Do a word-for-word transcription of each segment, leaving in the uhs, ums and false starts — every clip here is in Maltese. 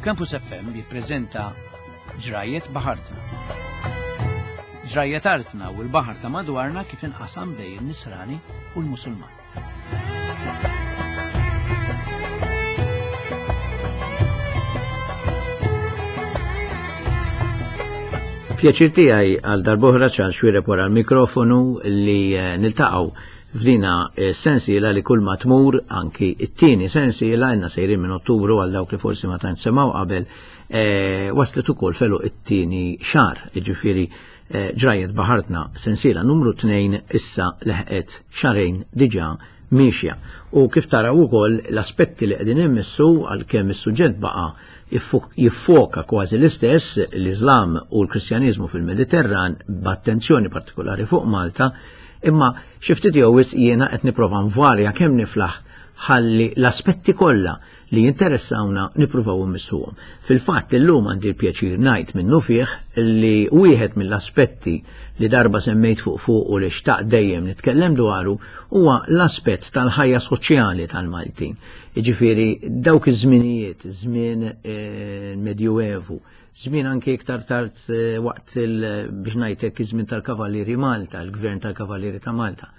Campus F M jippreżenta Ġrajiet Baħartna. Ġrajiet artna u l-baħar ta' madwarna kif inqasam bejn in-Nisrani u l-Musulman. Pjaċir tiegħi għal darb'oħra Charles Xuereb wara l-mikrofonu li niltaqgħu f'dina sensiela li kull ma tmur, anki it-tieni sensiela għandna sejrin minn Ottubru għal dawk li forsi ma tantx semgħu qabel, eh, waslet ukoll felu it-tieni xahar, jiġifieri, eh, Ġrajiet Baħartna sensiela numru tnejn issa leħqet xahrejn diġà miexja. U kif taraw ukoll l-aspetti li qegħdin immissu għalkemm is-suġġett baqa' jiffoka kważi l-istess, l-Iżlam u l-Kristjaniżmu fil-Mediterran b'attenzjoni partikolari fuq Malta, imma xi ftit jew wisq jiena qed nipprova nvarja kemm niflaħ ħalli l-aspetti kollha li jinteressawna nippruvaw immissuhom. Fil-fatt illum għandi l-pjaċir ngħid minnu fih li wieħed mill-aspetti li darba semmejt fuq fuq u li xtaq dejjem nitkellem dwaru huwa l-aspett tal-ħajja soċjali tal-Maltin. Jiġifieri dawk iż-żminijiet, żmien, eh, Medjuevu, żmien anke iktar tard, eh, waqt il-, biex ngħidlek iż-żmien tal-Kavallieri Malta, il-Gvern tal-Kavallieri ta' Malta.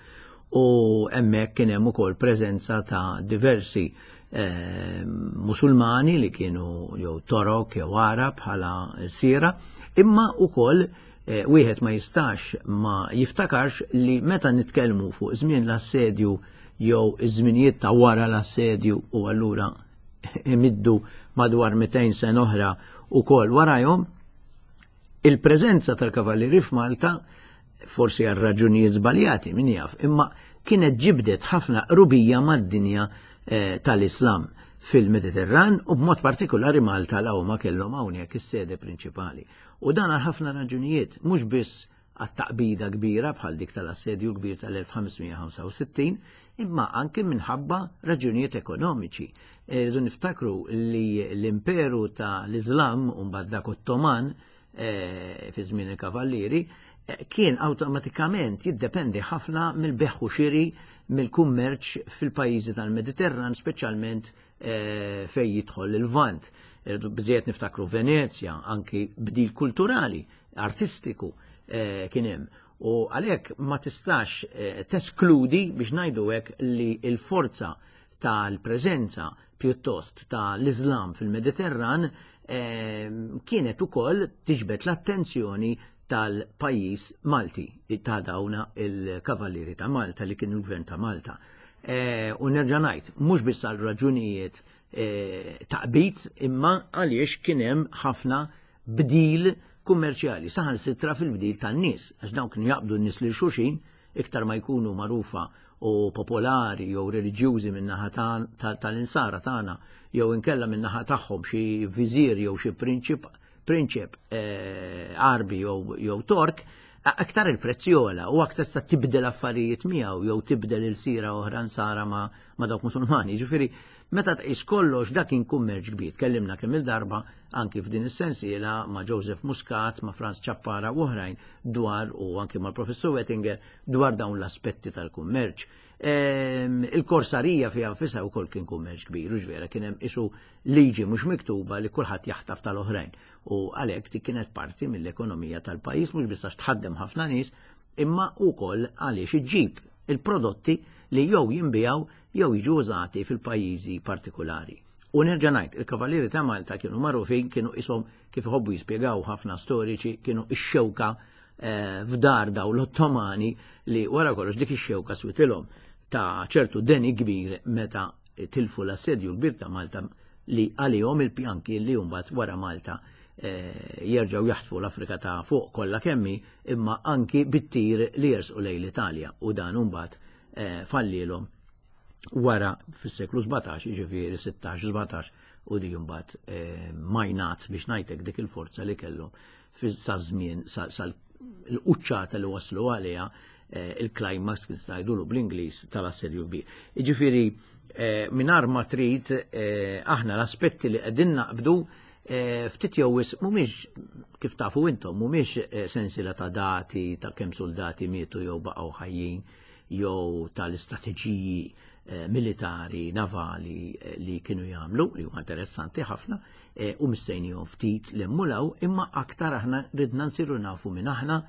U hemmhekk kien hemm ukoll preżenza ta' diversi, eh, Musulmani li kienu jew Torok jew Arab bħala sira, imma ukoll, eh, wieħed ma jistax ma jiftakarx li meta nitkellmu fuq żmien l-assedju jew iż-żminijiet ta' wara l-assedju u allura imiddu madwar mitejn sena oħra ukoll warajhom, il-preżenza tal-Kavallieri f'Malta forsi għal raġunijiet żbaljati, min jaf, imma kienet ġibdet ħafna qrubija mad-dinja, eh, tal-Islam fil-Mediterran u b'mod partikolari Malta la huma kellhom hawnhekk is-sede prinċipali. U dan għal ħafna raġunijiet, mhux biss għat-taqbida kbira bħal dik tal-assedju kbir tal-elf ħamsmija ħamsa u sittin, imma anke minħabba raġunijiet ekonomiċi. Irridu niftakru li l-imperu tal-Islam u mbagħad dak Ottoman, eh, fi żmien il-Kavallieri, eh, kien awtomatikament jiddependi ħafna mill-beħ u xiri mill-kummerċ fil-pajjiżi tal-Mediterran, speċjalment, eh, fejn jidħol il-Lvant. Irridu biżejjed niftakru Venezja, anki bdil kulturali, artistiku, eh, kien hemm. U għalhekk ma tistax, eh, teskludi biex ngħidu hekk li l-forza tal-preżenza pjuttost tal-Islam fil-Mediterran, eh, kienet ukoll tiġbed l-attenzjoni tal-pajjiż Malti, ta' dawna il-Kavallieri ta' Malta li kienu l-Gvern ta' Malta. Eh, u nerġa' ngħid, mhux biss għal raġunijiet, eh, taqbid, imma għaliex kien hemm ħafna bdil kummerċjali, saħansitra fil-bdil tan-nies, għax dawn kienu jaqbdu n-nies lil xulxin iktar ma jkunu magħrufa u popolari jew reliġjużi min-naħa ta-, ta-, tal-insara tagħna, jew inkella min-naħa tagħhom xi viżir jew xi prinċip, prinċep, eh, Arbi jew, jew Tork, a-, aktar il-prezz jogħla u aktar sa tibdel affarijiet miegħu jew tibdel il-sira oħra nsara ma, ma dawk Musulmani. Ġifieri, meta tqis kollox dak kien kummerċ kbir. Tkellimna kemm il-darba anki f'din is-sensiela ma' Joseph Muscat, ma' Franz Ciappara u oħrajn dwar, u anki mal-Professur Wettinger dwar dawn l-aspetti tal-kummerċ. Ehm, il-korsarija fiha nfisha wkoll kien kummerċ kbir, u ġvera kien hemm isu liġi mhux miktuba li kulħadd jaħtaf tal-oħrajn. U għalhekk dik kienet parti mill-ekonomija tal-pajjiż, mhux biss għax tħaddem ħafna nies, imma wkoll għaliex iġġib il-prodotti li jew jinbiegħu jew jiġu użati fil-pajjiżi partikolari. U nerġa' ngħid, il-Kavallieri ta' Malta kienu magħrufin, kienu ishom kif iħobbu jispjegaw ħafna storiċi, kienu ix-xewka, eh, f'dar daw l-Ottomani li wara kollox dik ix-xewka switilhom ta' ċertu deni kbir meta tilfu l-assedju kbir ta' Malta li għalihom il-pjanki li mbagħad wara Malta, eh, jerġgħu jaħtfu l-Afrika ta' fuq kollha kemmi, imma anki bit-tir li jersqu lejn l-Italja, u dan mbagħad, eh, fallilhom wara fis-seklu sbatax, jiġifieri sittax, sbatax, u di mbagħad, eh, majnat biex ngħidlek dik il-forza li kellhom sa żmien, sa, sa l-quċċata li waslu għaliha, eh, il-climax kif ngħidulu bl-Ingliż tal-assedju kbir. Jiġifieri, eh, mingħajr ma trid, eh, aħna l-aspetti li qegħdin naqbdu, eh, ftit jew wisq mhumiex kif tafu intom, mhumiex, eh, sensiela ta' dati ta' kemm soldati mietu jew baqgħu ħajjin jew tal-istrateġiji eh, militari, navali eh, li kienu jagħmlu, li huma interessanti ħafna, eh, u missejnihom ftit li mmulaw, imma aktar aħna ridna nsiru nafu minn aħna,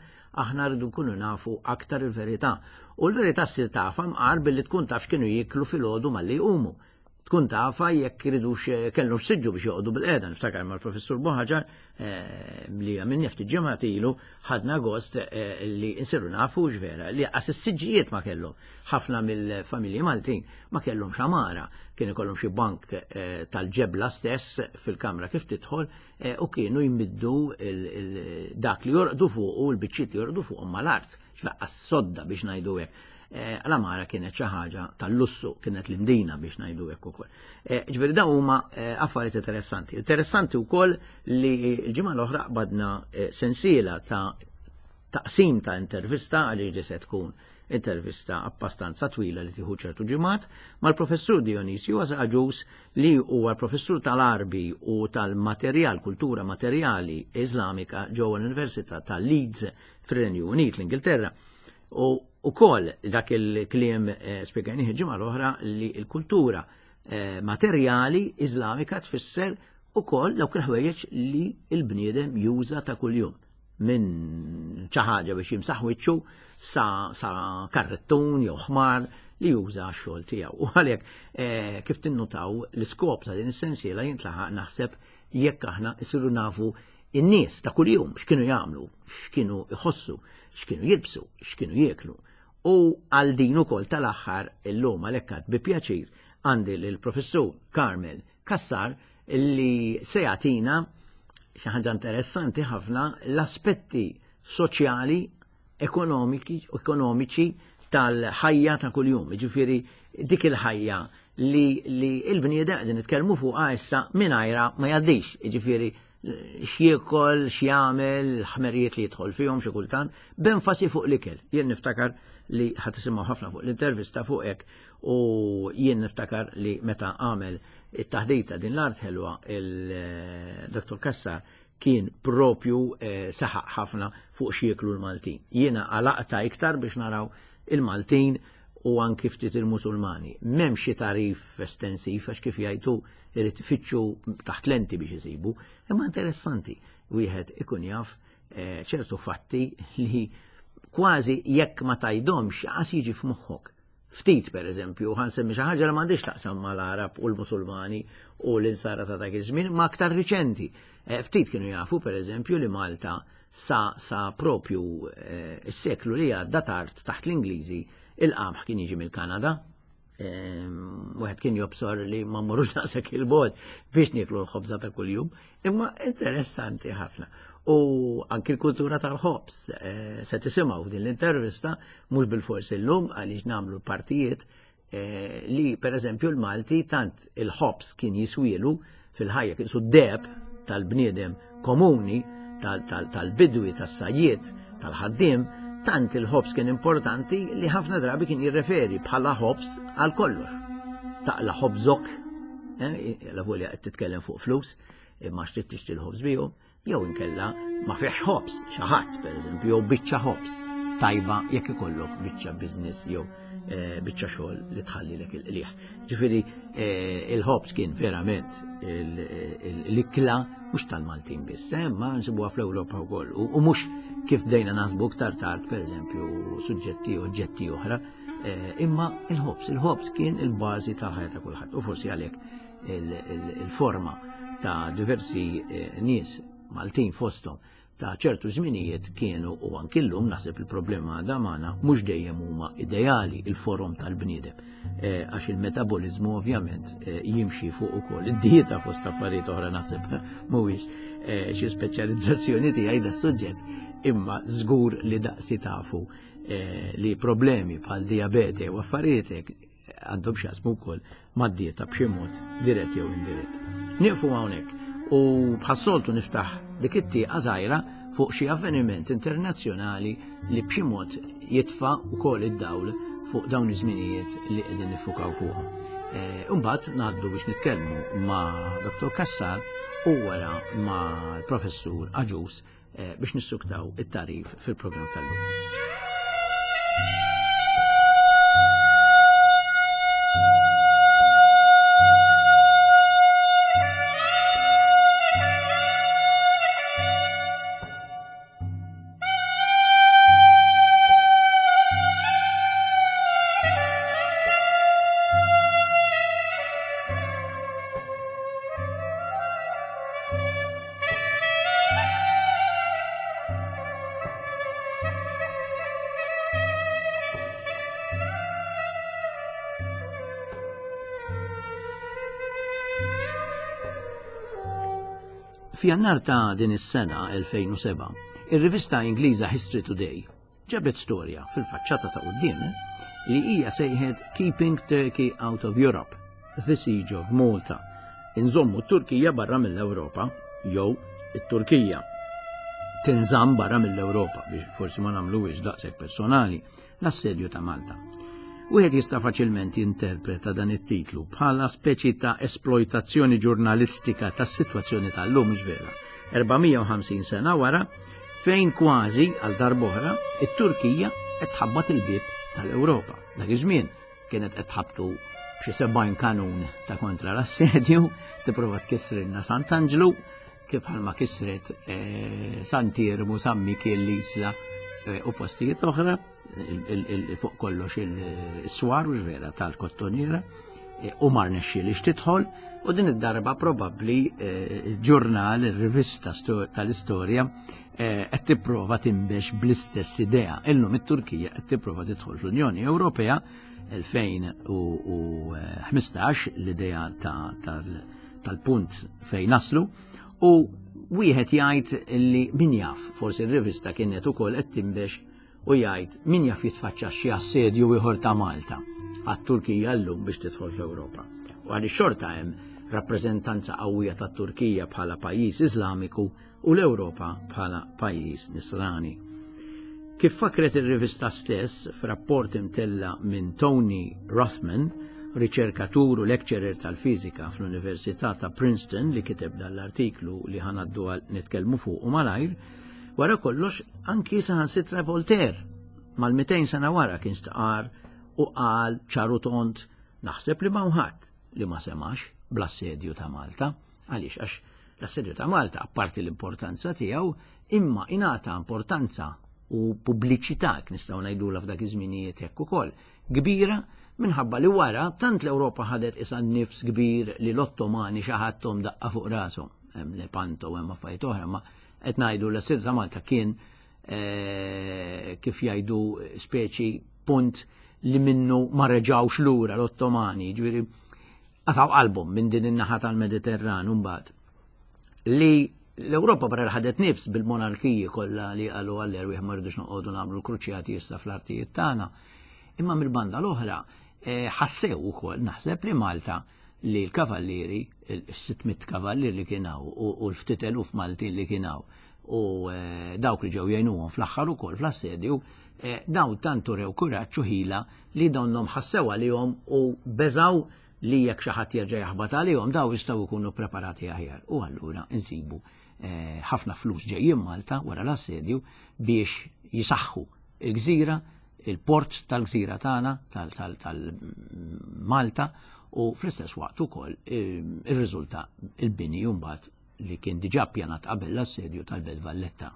aħna rridu nkunu nafu aktar il-verità. U l-verità ssir tafha mqar billi tkun taf x'kienu jieklu filgħodu malli jqumu. Tkun tafa jekk iridux kellhom siġġu biex joqogħdu bil-qiegħda. Niftakar mal-Professur Buhagiar eh, li għamilni ftit ġimgħat ilu ħadna gost eh, li nsiru nafu x'vera li qas is-siġġijiet ma kellhom. Ħafna mill-familji Maltin ma kellhom xamara, kien ikollhom xi bank eh, tal-ġebla stess fil-kamra kif tidħol eh, u kienu jmiddu il- il- dak li jorqdu fuq u l-biċċiet li jorqdu fuqhom mal-art, x'faqqa sodda biex ngħidu hekk. Eh, L-għamara kienet xi ħaġa tal-lussu, kienet l-imdina biex ngħidu hekk ukoll. Eh, Ġifieri dawn huma eh, affarijiet interessanti. Interessanti wkoll li l-ġimgħa l-oħra qbadna eh, sensiela ta' taqsim ta' intervista, għaliex di se tkun intervista abbastanza twila li tieħu ċertu ġimgħat, mal-professur Dionisio Agius, li huwa professur tal-Arbi u tal-materjal, kultura materjali Islamika ġewwa l-Università ta' Leeds fir-Renju Unit, l-Ingilterra. U ukoll dak il-kliem eh, spjegajnieh il-ġimgħa l-oħra li l-kultura eh, materjali Islamika tfisser ukoll dawk il-ħwejjeġ li l-bniedem juża ta' kuljum, minn xi ħaġa biex jimsaħ wiċċu sa, sa karrettun jew ħmar li juża x-xogħol tiegħu. U għalhekk eh, kif tinnutaw, l-iskop ta' din is-sensiela jintlaħaq naħseb jekk aħna isiru nafu in-nies ta' kuljum x'kienu jagħmlu, x'kienu jħossu, x'kienu jilbsu, x'kienu jieklu. U għal din ukoll tal-aħħar illum għalhekk bi pjaċir għandi lill-professur Carmel Cassar li se jagħtina xi ħaġa interessanti ħafna, l-aspetti soċjali, ekonomiki, ekonomiċi tal-ħajja ta' kuljum. Ġifieri dik il-ħajja li, li il-bniedem qegħdin nitkellmu fuqha issa mingħajra ma jgħaddix. Ġifieri x'jiekol, x'jagħmel, ħmerijiet li jidħol fihom xi kultant, b'enfasi fuq l-ikel. Jien niftakar li ħa tisimgħu ħafna fuq l-intervista fuq hekk, u jien niftakar li meta għamel it-taħdita Din l-Art Ħelwa, il-Dottor Cassar kien propju eh, saħaq ħafna fuq x'jieklu l-Maltin. Jiena għalaqta iktar biex naraw il-Maltin u anki ftit il-Musulmani. M'hemm xi tarif estensiv għax kif jgħidu irid ifittxu taħt lenti biex isibu, imma interessanti wieħed ikun jaf eh, ċertu fatti li kważi jekk ma tgħidhomx qas jiġi f'moħħok. Ftit, per eżempju, ħa nsemmi xi ħaġa li m'għandix taqsam mal-Arab u l-Musulmani u l-Insara ta' dak iż-żmien, ma aktar riċenti. Eh, ftit kienu jafu, per eżempju, li Malta sa, sa propju eh, s-seklu li għadda tard taħt l-Ingliżi il-qamħ kien jiġi mill-Kanada. Wieħed kien jobsor li ma mmorrux daqshekk il-bogħod biex nieklu l-ħobża ta' kuljum, imma interessanti ħafna. U anki l-kultura tal-ħobż eh, se tisimgħu din l-intervista, mhux bil-fors illum għaliex nagħmlu partijiet, eh, li per eżempju l-Malti tant il-ħobż kien jiswielu fil-ħajja, kien su deb tal-bniedem komuni, tal-bidwi, tas-sajjiet, tal-ħaddiem, tant il-ħobż kien importanti li ħafna drabi kien jirreferi bħala ħobż għal kollox. Taqla ħobżok, eh, la volja qed titkellem fuq flus, imma xtrid tixtri l-ħobż bihom, jew inkella ma fiex ħobż, xi ħadd pereżempju, jew biċċa ħobż tajba jekk ikollok biċċa business jew eh, biċċa xogħol li tħallilek il-qliħ. Ġifieri eh, il-ħobż kien verament l-ikla mhux tal-Maltin biss, eh, ma nsibuha fl-Ewropa wkoll. U mhux kif bdejna nasbu iktar tard, pereżempju, suġġetti u oġġetti oħra, imma il-ħobż, il-ħobż kien il-bażi tal-ħajja ta' kulħadd. U forsi għalhekk il-forma ta' diversi nies Maltin fosthom ta' ċertu żminijiet kienu, u anki llum naħseb il-problema għadha magħna, mhux dejjem huma ideali il-forom tal-bniedem. Eh, għax il-metabolizmu ovvjament eh, jimxi fuq ukoll id-dieta fost affarijiet oħra. Naħseb mhuwiex eh, xi speċjalizzazzjoni tiegħi da suġġett, imma żgur li daqsi tafu li problemi bħal diabete u affarijiet għandhom x'jaqsmu wkoll mad-dieta b'xi mod dirett jew indirett. Nieqfu hawnhekk u bħas-soltu niftaħ dik it-tieqa żgħira fuq xi avveniment internazzjonali li b'xi mod jitfa' wkoll id-dawl fuq dawn iż-żminijiet li qegħdin nifukaw fuqhom. Imbagħad ngħaddu biex nitkellmu ma' Dottor Cassar u wara ma' l-Professur Agius eh, biex nissuktaw it-tarif fil-programm tal-lum. F'Jannar ta' din is-sena elfejn u sebgħa, ir-rivista Ingliża History Today ġabet storja fil-faċċata ta' quddiem li hija sejħet "Keeping Turkey Out of Europe, The Siege of Malta". Inżommu t-Turkija barra mill-Ewropa, jew it-Turkija tinżamm barra mill-Ewropa, biex forsi ma nagħmluhiex daqshekk personali, l-assedju ta' Malta. Wieħed jista' faċilment jinterpreta dan it-titlu bħala speċi ta' esploitazzjoni ġurnalistika tas-sitwazzjoni tal-lum, vera. erba' mija u ħamsin sena wara, fejn kważi għal darb'oħra it-Turkija qed tħabbat il-bieb tal-Ewropa. Dak iż-żmien kienet qed tħabbtu b'xi sebgħin kanun ta' kontra l-assedju, tipprova tkissrilna Sant'Anġlu, kif bħalma kisret eh, Sant'Iermu, San Mikiel, l-Isla eh, u postijiet oħra, fuq kollox il-swar u vera tal-Kottonera, eh, u ma rnexxilhiex tidħol, u din id-darba probabbli il-ġurnal, il-rivista tal-istorja qed tipprova tinbex bl-istess idea. Illum it-Turkija qed tipprova tidħol fl-Unjoni Ewropea elfejn u ħmistax, l-idea tal-punt fejn naslu, u wieħed jgħid li min jaf, forsi r-rivista kienet ukoll qed tinbex u jgħid min jaf jitfaċċa xi assedju ieħor ta' Malta għat-Turkija llum biex tidħol fl-Ewropa. U għaliex xorta hemm rappreżentanza qawwija tat-Turkija bħala pajjiż Iżlamiku u l-Ewropa bħala pajjiż Nisrani. Kif fakret ir-rivista stess f'rapport imtella minn Tony Rothman, riċerkatur u lecturer tal-fizika fl-Università ta' Princeton, li kiteb dal-artiklu li ħa ngħaddu għal nitkellmu fuq u malajr, wara kollox anki saħansitra Voltaire mal-mitejn sena wara kien stqar u qal ċar u tond, "Naħseb li m'hawn ħadd li ma semax bl-assedju ta' Malta." Għaliex? Għax l-assedju ta' Malta, apparti l-importanza tiegħu, imma ingħata importanza u pubbliċità, nistgħu ngħidula f'dak iż-żminijiet hekk ukoll, kbira, minħabba li wara tant l-Ewropa ħadet isa nifs kbir li l-Ottomani xi ħadd daqqa fuq rashom. Hemm Lepanto u hemm affarijiet oħra, ma qed ngħidu l-assedju ta' Malta kien eh, kif jgħidu, speċi punt li minnu ma reġawx lura l-Ottomani, ġifieri qatgħu qalbhom minn din in-naħa tal-Mediterran mbagħad. Li l-Ewropa barra ħadet nifs bil-monarkiji kollha li qalu għall-erwieħ, ma rridux noqogħdu nagħmlu kruċjati issa fl-artijiet tagħna. Imma mill-banda l-oħra eh, ħassew ukoll, naħseb, li Malta, li l-kavallieri, il-sitt mitt kavallieri li kien hawn u l-ftit eluf Maltin li kien hawn u eh, dawk li ġew jgħinuhom fl-aħħar ukoll fl-assedju, eh, dawn tantu rew kuraġġ u ħila li donnhom ħassew għalihom u beżaw li jekk xi ħadd jerġa' jaħbat għalihom, daw jistgħu jkunu preparati aħjar. U allura insibu ħafna flus ġejjin Malta wara l-assedju biex jisaħħu il-gżira, il-port tal-gżira tagħna tal-Malta, u fl-istess waqt ukoll ir-riżulta il-bini mbagħad li kien diġà pjanat qabel l-assedju tal-Belt Valletta.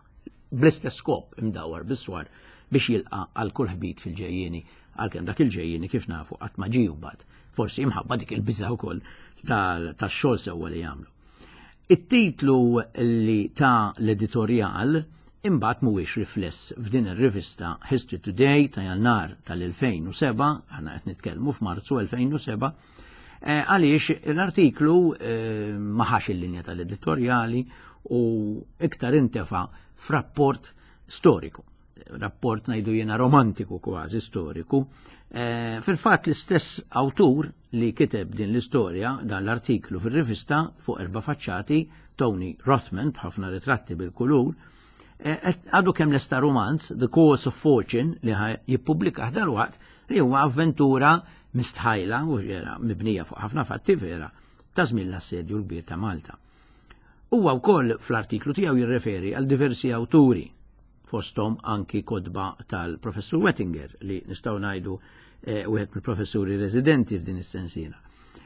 Bl-istess skop, imdawar bis-swar biex jilqa' għal kull ħbit fil-ġejjieni, għalkemm dak il-ġejjieni, kif nafu, qatt ma ġie mbagħad. Forsi imħabba dik il-biża wkoll tax-xogħol sewwa li jagħmlu. It-titlu li ta' l-editorjal imbagħad mhuwiex rifless f'din ir-rivista History Today ta' Jannar tal-elfejn u sebgħa, aħna qed nitkellmu f'Marzu elfejn u sebgħa, eh, għaliex l-artiklu eh, ma ħax il-linja tal-editorjali u iktar intefa f'rapport storiku, rapport, ngħidu jiena, romantiku, kważi storiku. Eh, fil-fatt l-istess awtur li kiteb din l-istorja, dan l-artiklu fil-rivista fuq erba' faċċati, Tony Rothman, b'ħafna ritratti bil-kulur, Eh, għadu kemm lesta romanz, The Course of Fortune, li jippubblika dal-waqt, li huwa avventura mistħajla u vera mibnija fuq ħafna fatti vera ta' żmien l-assedju l-kbir ta' Malta. Huwa wkoll fl-artiklu tiegħu jirreferi għal diversi awturi, fosthom anki kotba tal-professur Wettinger, li nistgħu ngħidu eh, wieħed mill-professuri residenti f'din is-sensiela.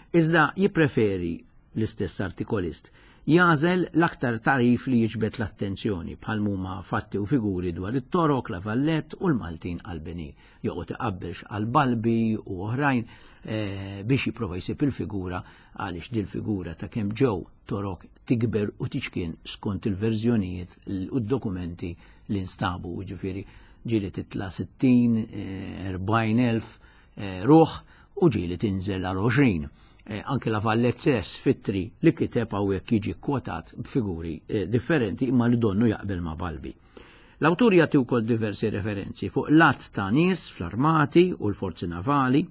Iżda jippreferi l-istess artikolist jagħżel l-aktar tarif li jiġbed l-attenzjoni, bħal huma fatti u figuri dwar it-Torok, La Vallette u l-Maltin qalbini. Joqgħod iqabbelx għal Balbi u oħrajn eh, biex jipprova jsib il-figura, għaliex dil-figura ta' kemm ġew Torok tikber u tiċkien skont il-verżjonijiet u d-dokumenti li nstabu, ġifieri ġieli titla' sittin, erbaħin elf eh, ruħ u ġieli tinżel għal għoxrin. Anke La Valette stess f'ittri li kiteb hawnhekk jiġi kwotat b'figuri differenti imma li donnu jaqbel ma' Balbi. L-awtur jagħti wkoll diversi referenzi fuq l-għadd ta' nies fl-armati u l-forzi navali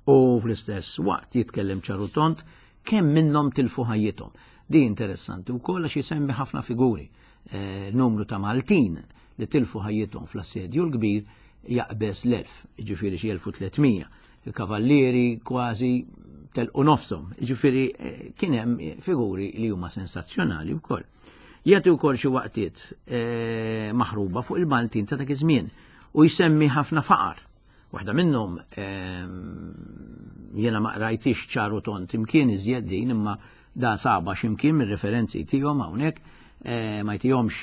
u fl-istess waqt jitkellem ċar u tond kemm minnhom tilfu ħajjithom. Di interessanti wkoll għax jisemmi ħafna figuri. Eh, numru ta' Maltin li tilfu ħajjithom fl-assedju l-kbir jaqbeż l-elf, ġifieri xi elf u tliet mija. Il-kavallieri kważi telqu nofshom, ġifieri eh, kien hemm figuri li huma sensazzjonali wkoll. Jagħti wkoll xi waqtiet eh, maħruba fuq il-Maltin ta' dak iż-żmien u jsemmi ħafna faqar. Waħda minnhom jiena ma qrajtix ċar u tond imkien iżjed din, imma da saba x'imkien mir-referenzi tiegħu hawnhekk, eh, ma jtihomx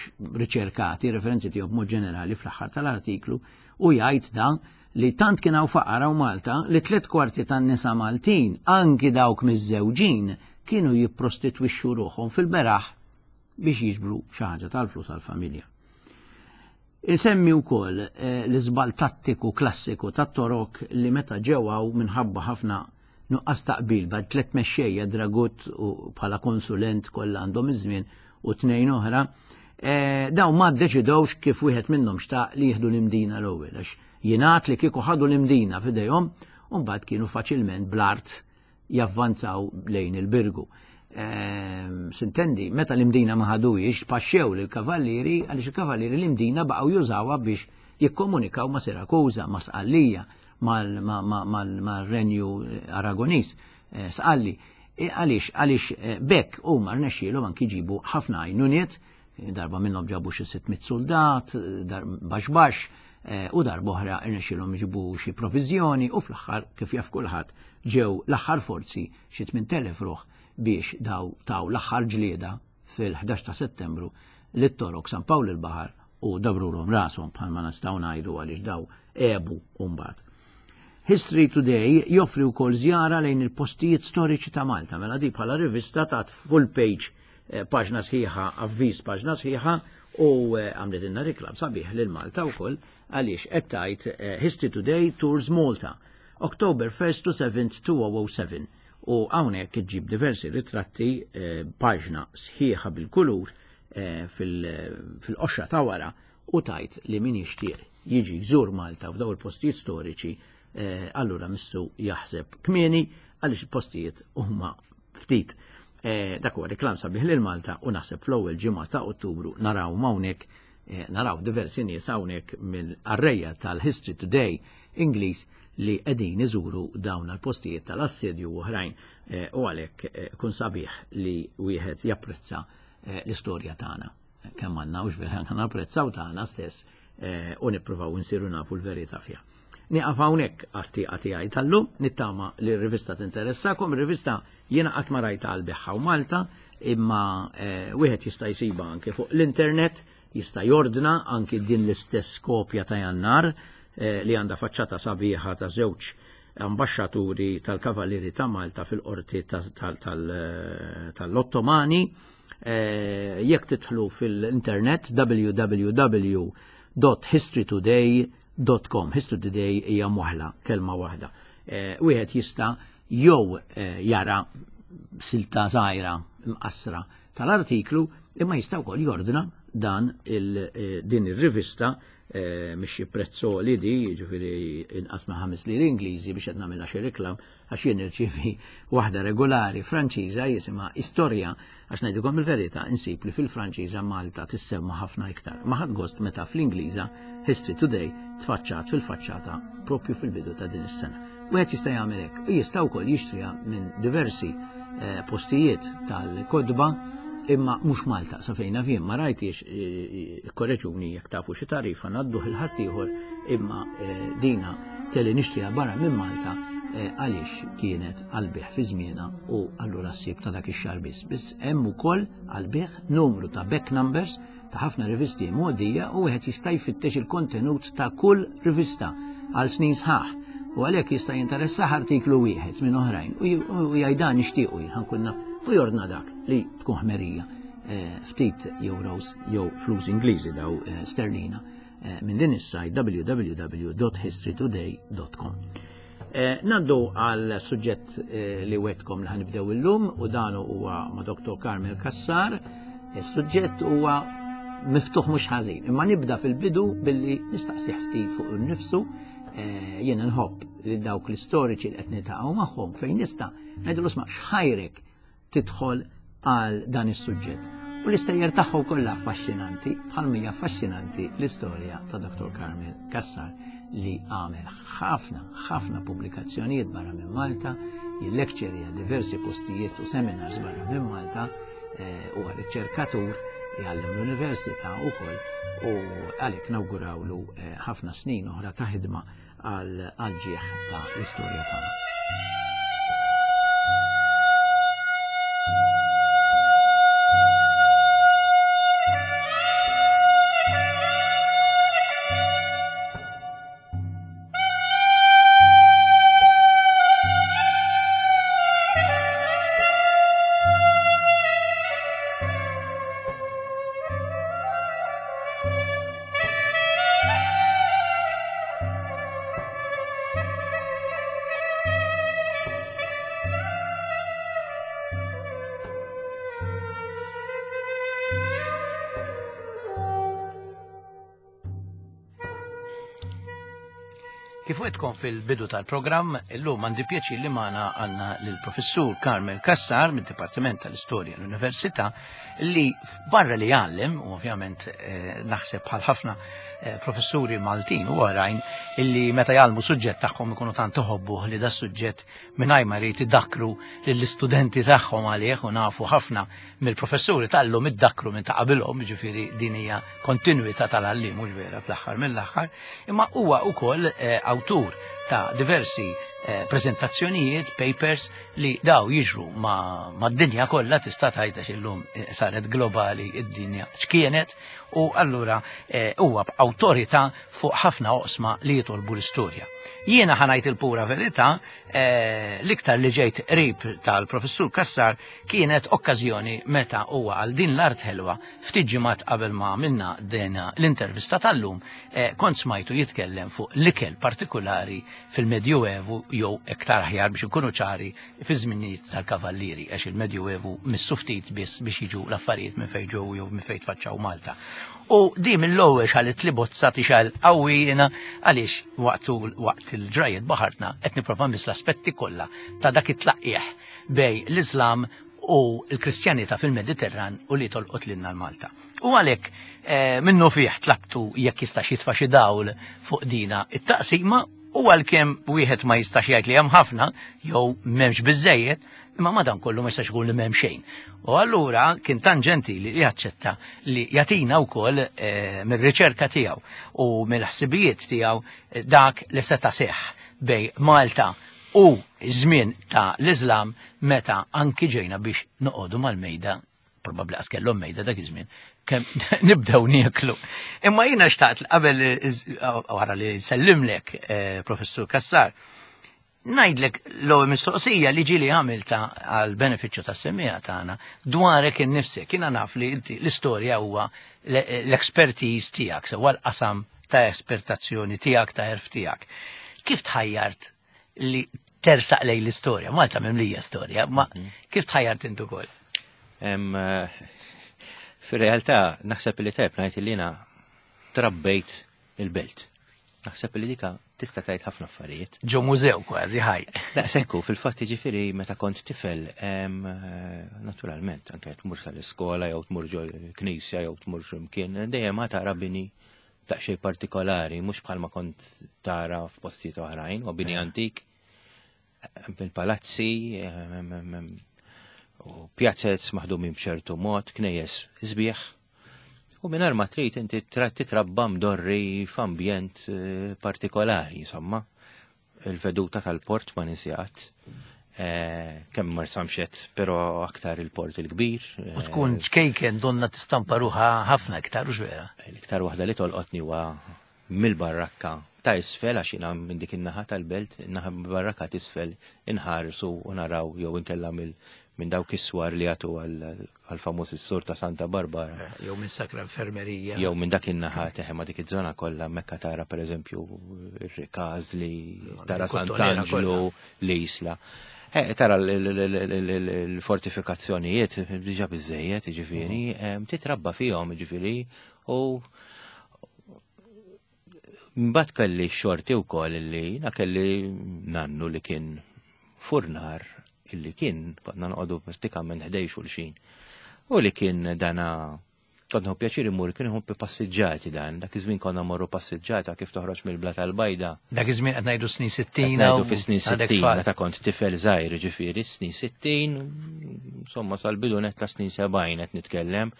riċerkati, referenzi tiegħu b'mod ġenerali fl-aħħar tal-artiklu, u jgħid dan li tant kien hawn faqar hawn Malta li tliet kwarti tan-nisa Maltin, anki dawk miż-żewġin, kienu jipprostitwixxu ruħhom fil-beraħ biex jiġbru xi ħaġa tal-flus għall-familja. Isemmi wkoll eh, l-iżbal tattiku klassiku tat-Torok li meta ġew hawn, minħabba ħafna nuqqas taqbil bejn tliet mexxejja, Dragut u bħala konsulent kollha għandhom iż-żmien u tnejn oħra, eh, daw ma ddeċidewx kif wieħed minnhom xtaq li jieħdu l-Imdina l-ewwel, għax jingħad li kieku ħadu l-Imdina f'idejhom u mbagħad kienu faċilment bl-art javvanzaw lejn il-Birgu. Ehm, Sintendi, meta l-Imdina ma ħaduhiex, paxxew lill-kavallieri, għaliex il-kavallieri l-Imdina baqgħu jużawha biex jikkomunikaw ma' Sirakuza, ma' Sqallija, mal-Renju Aragonis, eh, Sqalli. E għaliex, għaliex eh, bekk huma rnexxielhom anki jġibu ħafna għajnuniet, darba minnhom ġabu xi sitt mitt soldat, dar baxx baxx, eh, u darba oħra rnexxielhom jġibu xi provizjoni u fl-aħħar, kif jaf kulħadd, ġew l-aħħar forzi, xi tmint elef ruħ, biex daw taw l-aħħar ġlieda fil-ħdax ta' Settembru lit-Torok San Pawl il-Baħar u dabrulhom rashom, bħalma nistgħu ngħidu, għaliex daw għebu mbagħad. History Today joffri wkoll żjara lejn il-postijiet storiċi ta' Malta. Mela di bħala rivista ta' full page, eh, paġna sħiħa, avviż paġna sħiħa, u eh, għamlet inna reklam sabiħ lil Malta wkoll għaliex qed tgħid eh, "History Today Tours Malta, October first to seventh two thousand seven", u hawnhekk iġġib diversi ritratti, paġna sħiħa bil-kulur fil-qoxra ta' wara, u tgħid li min jixtieq jiġi jżur Malta f'daw il-postijiet storiċi, eh, allura missu jaħseb kmieni għaliex il-postijiet huma ftit. Eh, dak huwa reklam sabiħ lil Malta u naħseb fl-ewwel ġimgħa ta' Ottubru naraw hawnhekk eh, naraw diversi nies hawnhekk mill-arreja tal-History Today Ingliż li qegħdin iżuru dawn l-postijiet tal-assedju u oħrajn, u għalhekk kun sabiħ li wieħed japprezza l-istorja tagħna. Kemm għandna u vera napprezzaw tagħna stess u nippruvaw nsiru nafu l-verità fiha. Nieqaf hawnhekk għat-tieqa tiegħi tal-lum, nittama li r-rivista tinteressakom. Ir-rivista jiena qatt ma rajta għall-bejgħ hawn Malta, imma eh, wieħed jista' jsibha anke fuq l-internet, jista' jordna anke din l-istess kopja ta' Jannar eh, li għandha faċċata sabiħa ta' żewġ ambasċaturi tal-Kavallieri ta' Malta fil-qorti tal-Ottomani. Eh, jekk tidħlu fil-internet w w w dot history today dot com. History Today hija moħla, kelma waħda. Eh, wieħed jista' jew eh, jara silta żgħira mqassra tal-artiklu, imma jista' wkoll jordna dan il, eh, din ir-rivista, mhix prezzoli di, ġifieri inqas ma' ħames liri Ingliżi, biex qed nagħmilha xi reklam għax jien nirċievi waħda regolari Franċiża jisimha Istorja, għax ngħidilkom il-verità, insib li fil-Franċiża Malta tissemma ħafna iktar. Ma ħadt gost meta fl-Ingliża History Today tfaċċat fil-faċċata propju fil-bidu ta' din is-sena. Wieħed jista' jagħmel hekk u jista' wkoll jixtriha minn diversi eh, postijiet tal-kotba, imma mhux Malta, sa fejn naf jien ma rajtix, eh, korreġuni jekk tafu xi tarifa ngħaddu il-ħaddieħor, imma eh, dina kelli nixtriha barra minn Malta eh, għaliex kienet għall-bejgħ fi żmienha u allura ssib ta' dak ix-xahar biss. Biss hemm ukoll għall-bejgħ numru ta' back numbers ta' ħafna rivisti mgħoddija u wieħed jista' jfittex il-kontenut ta' kull rivista għal snin sħaħ. U għalhekk jista' jinteressah artiklu wieħed minn oħrajn u jgħid, "Dan nixtiequ jien, ħa nkun naf", u jordna dak li tkun ħmerija, eh, ftit euros jew flus Ingliżi daw, eh, sterlina, eh, minn din is-sajt w w w dot history today dot com. Eh, Ngħaddu għal suġġett eh, li wegħedtkom li ħa nibdew illum u dan huwa ma' Dottor Carmel Cassar. Is-suġġett huwa miftuħ mhux ħażin. Imma nibda fil-bidu billi nistaqsih ftit fuq innifsu. Eh, jiena nħobb li dawk l-istoriċi li qed niltaqgħu magħhom fejn nista' ngħidulu, "Isma', x'ħajrek tidħol għal dan is-suġġett?" U l-istejjer tagħhom kollha affaxxinanti, bħal hija affaxxinanti l-istorja ta' Dottor Carmel Cassar li għamel ħafna, ħafna pubblikazzjonijiet barra minn Malta, jillekċerja diversi postijiet u seminars barra minn Malta, eh, u riċerkatur, jgħallem l-università ukoll, u għalhekk nawgurawlu eh, ħafna snin oħra ta' ħidma għal ġieħ ta' l-istorja tagħna. Kif wegħedtkom fil-bidu tal-programm, illum għandi pjaċir li magħna għandna l-professur Carmel Cassar mid-Dipartiment tal-Istorja l-Università, li barra li jgħallem, u ovvjament eh, naħseb bħal ħafna eh, professuri Maltin u oħrajn illi meta jgħallmu suġġett tagħhom ikunu tant iħobbu li da suġġett mingħajr ma jrid idakkru lill-istudenti tagħhom għalih, u nafu ħafna mill-professuri tal-lum iddakkru minn ta' qabilhom, ġifieri din hija kontinwità tal-għalliem, mhux vera, fl-aħħar mill-aħħar, imma huwa wkoll eh, awtur ta' diversi eh, prezentazzjonijiet, papers li daw jiġru ma, ma d-dinja kollha, tista' tgħidha illum eh, saret globali id-dinja x'kienet, u allura eh, huwa b'awtorità fuq ħafna oqsma li jitolbu l-istorja. Jiena ħa ngħid il-pura verità, eh, l-iktar li ġejt qrib tal-professur Cassar kienet okkażjoni meta huwa għal din l-art ħelwa ftit ġimgħat qabel ma għamilna dena l-intervista tal-lum, eh, kont smajtu jitkellem fuq l-ikel partikolari fil-Medjuevu, jew iktar aħjar biex ikunu ċari, fi żminijiet tal-Kavallieri, għax il-Medjuevu missu ftit biss biex jiġu l-affarijiet minn fejn ġew jew minn fejn tfaċċaw Malta. U di mill-ewwel xalit li bozza tixgħel qawwi jiena, għaliex waqt waqt il-ġrajiet baħartna qed nipprova nmiss l-aspetti kollha ta' dak it-tlaqqieħ bejn l-Islam u l-Kristjanità fil-Mediterran u li tolqot lilna l-Malta. U għalhekk eh, minnu fih tlabtu jekk jistax jitfa' xi dawl fuq dina it-taqsima, u għalkemm wieħed ma jistax jgħid li hemm ħafna jew m'hemmx biżejjed, imma madan kollu ma jistax ikun li m'hemm xejn. U allura kien tant ġentili li jaċċetta li jagħtina wkoll eh, mir-riċerka tiegħu u mill-ħsibijiet tiegħu eh, dak li seta' seħħ bejn Malta u żmien ta' l-Islam, meta anki ġejna biex noqogħdu mal-mejda, probabbli qas kellhom mejda dak iż-żmien, kemm nibdew nieklu. Imma jiena xtaqt qabel wara li nsellimlek, eh, Professur Cassar, ngħidlek l-ewwel mistoqsija li ġieli għamilta għal benefiċċju tas-semmiegħa tagħna dwarek innifsek. Jiena naf li inti l-istorja huwa l-expertise tiegħek, sewa l-qasam ta' espertazzjoni tiegħek, ta' għerf tiegħek. Kif tħajjart li tersaq lejn l-istorja? Malta mimlija storja, ma kif tħajjart intu ukoll? Eh, fir-realtà naħseb li tajb ngħid li jiena trabbejt il-belt. Naħseb li dika tista' tgħid ħafna affarijiet. Ġo mużew kważi ħaj. Daqshekk, fil-fatt, ġifieri meta kont tifel, eh, naturalment, anke tmur tal-iskola jew tmur ġo knisja jew tmur x'imkien, dejjem ma tara bini daqsxejn partikolari, mhux bħalma kont tara f'postijiet oħrajn, u bini antik, il-palazzi, u pjazzez maħdumin b'ċertu mod, knejjes sbieħ. U minn ma trid inti titrabba mdorri f'ambjent eh, partikolari, insomma. Il-veduta tal-port ma ninsijat. Eh, kemm Marsamxett, però aktar il-port il-kbir. U tkun ċkejken donna tistampa ruħha ħafna iktar, u vera? L-iktar waħda li tolqotni huwa mill-barrakka ta' isfel, għax jiena minn dik in-naħa tal-belt, naħa barrakka t'isfel inħarsu u naraw jew inkella mill Minn dawk is-swar li jagħtu għal-famuż is-sur ta' Santa Barbara. Jew minn Sacra Infermerija. Jew minn dak in-naħa teħe ma' dik iż-żona kollha mekka tara pereżempju ir-Rikażli, tara Sant'Anġlu, l-Isla. Eh, tara l-fortifikazzjonijiet diġà biżejjed, jiġifieri, titrabba fihom, jiġifieri, u mbagħad kelli xorti wkoll li jiena kelli nannu li kien furnar, illi kien konna noqogħdu prattikament ħdejn xulxin. U li kien dana kont nieħu pjaċir immur, kien iħobb passiġġati dan, dak iż-żmien konna morru passiġġata kif toħroġ mill-Bla tal-Bajda. Dak iż-żmien qed ngħidu snin sittin. Ngħidu fis-snin sittin, meta kont tifel żgħir, ġifieri snin sittin, insomma sal-bidu net ta' snin sebgħin qed nitkellem,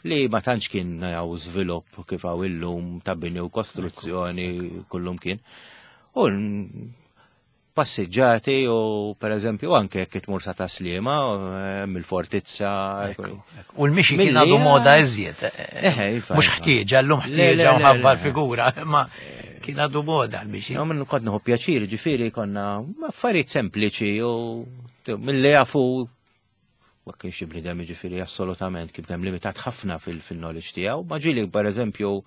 li ma tantx kien hawn żvilupp kif hawn illum ta' bini u kostruzzjoni kullum kien. U passiġġati u per eżempju anke jekk tmur sa Taslima mill-fortizza. U l-mixi kien għadu moda iżjed. Mhux ħtieġa, llum ħtieġa u ħabba l-figura, ma kien għadu moda l-mixi. Jo, minn kont nieħu pjaċir, ġifieri konna affarijiet sempliċi u mill-li jafu ma kienx bniedem, ġifieri assolutament kif dem limitat ħafna fil-knowledge tiegħu, ma ġieli per eżempju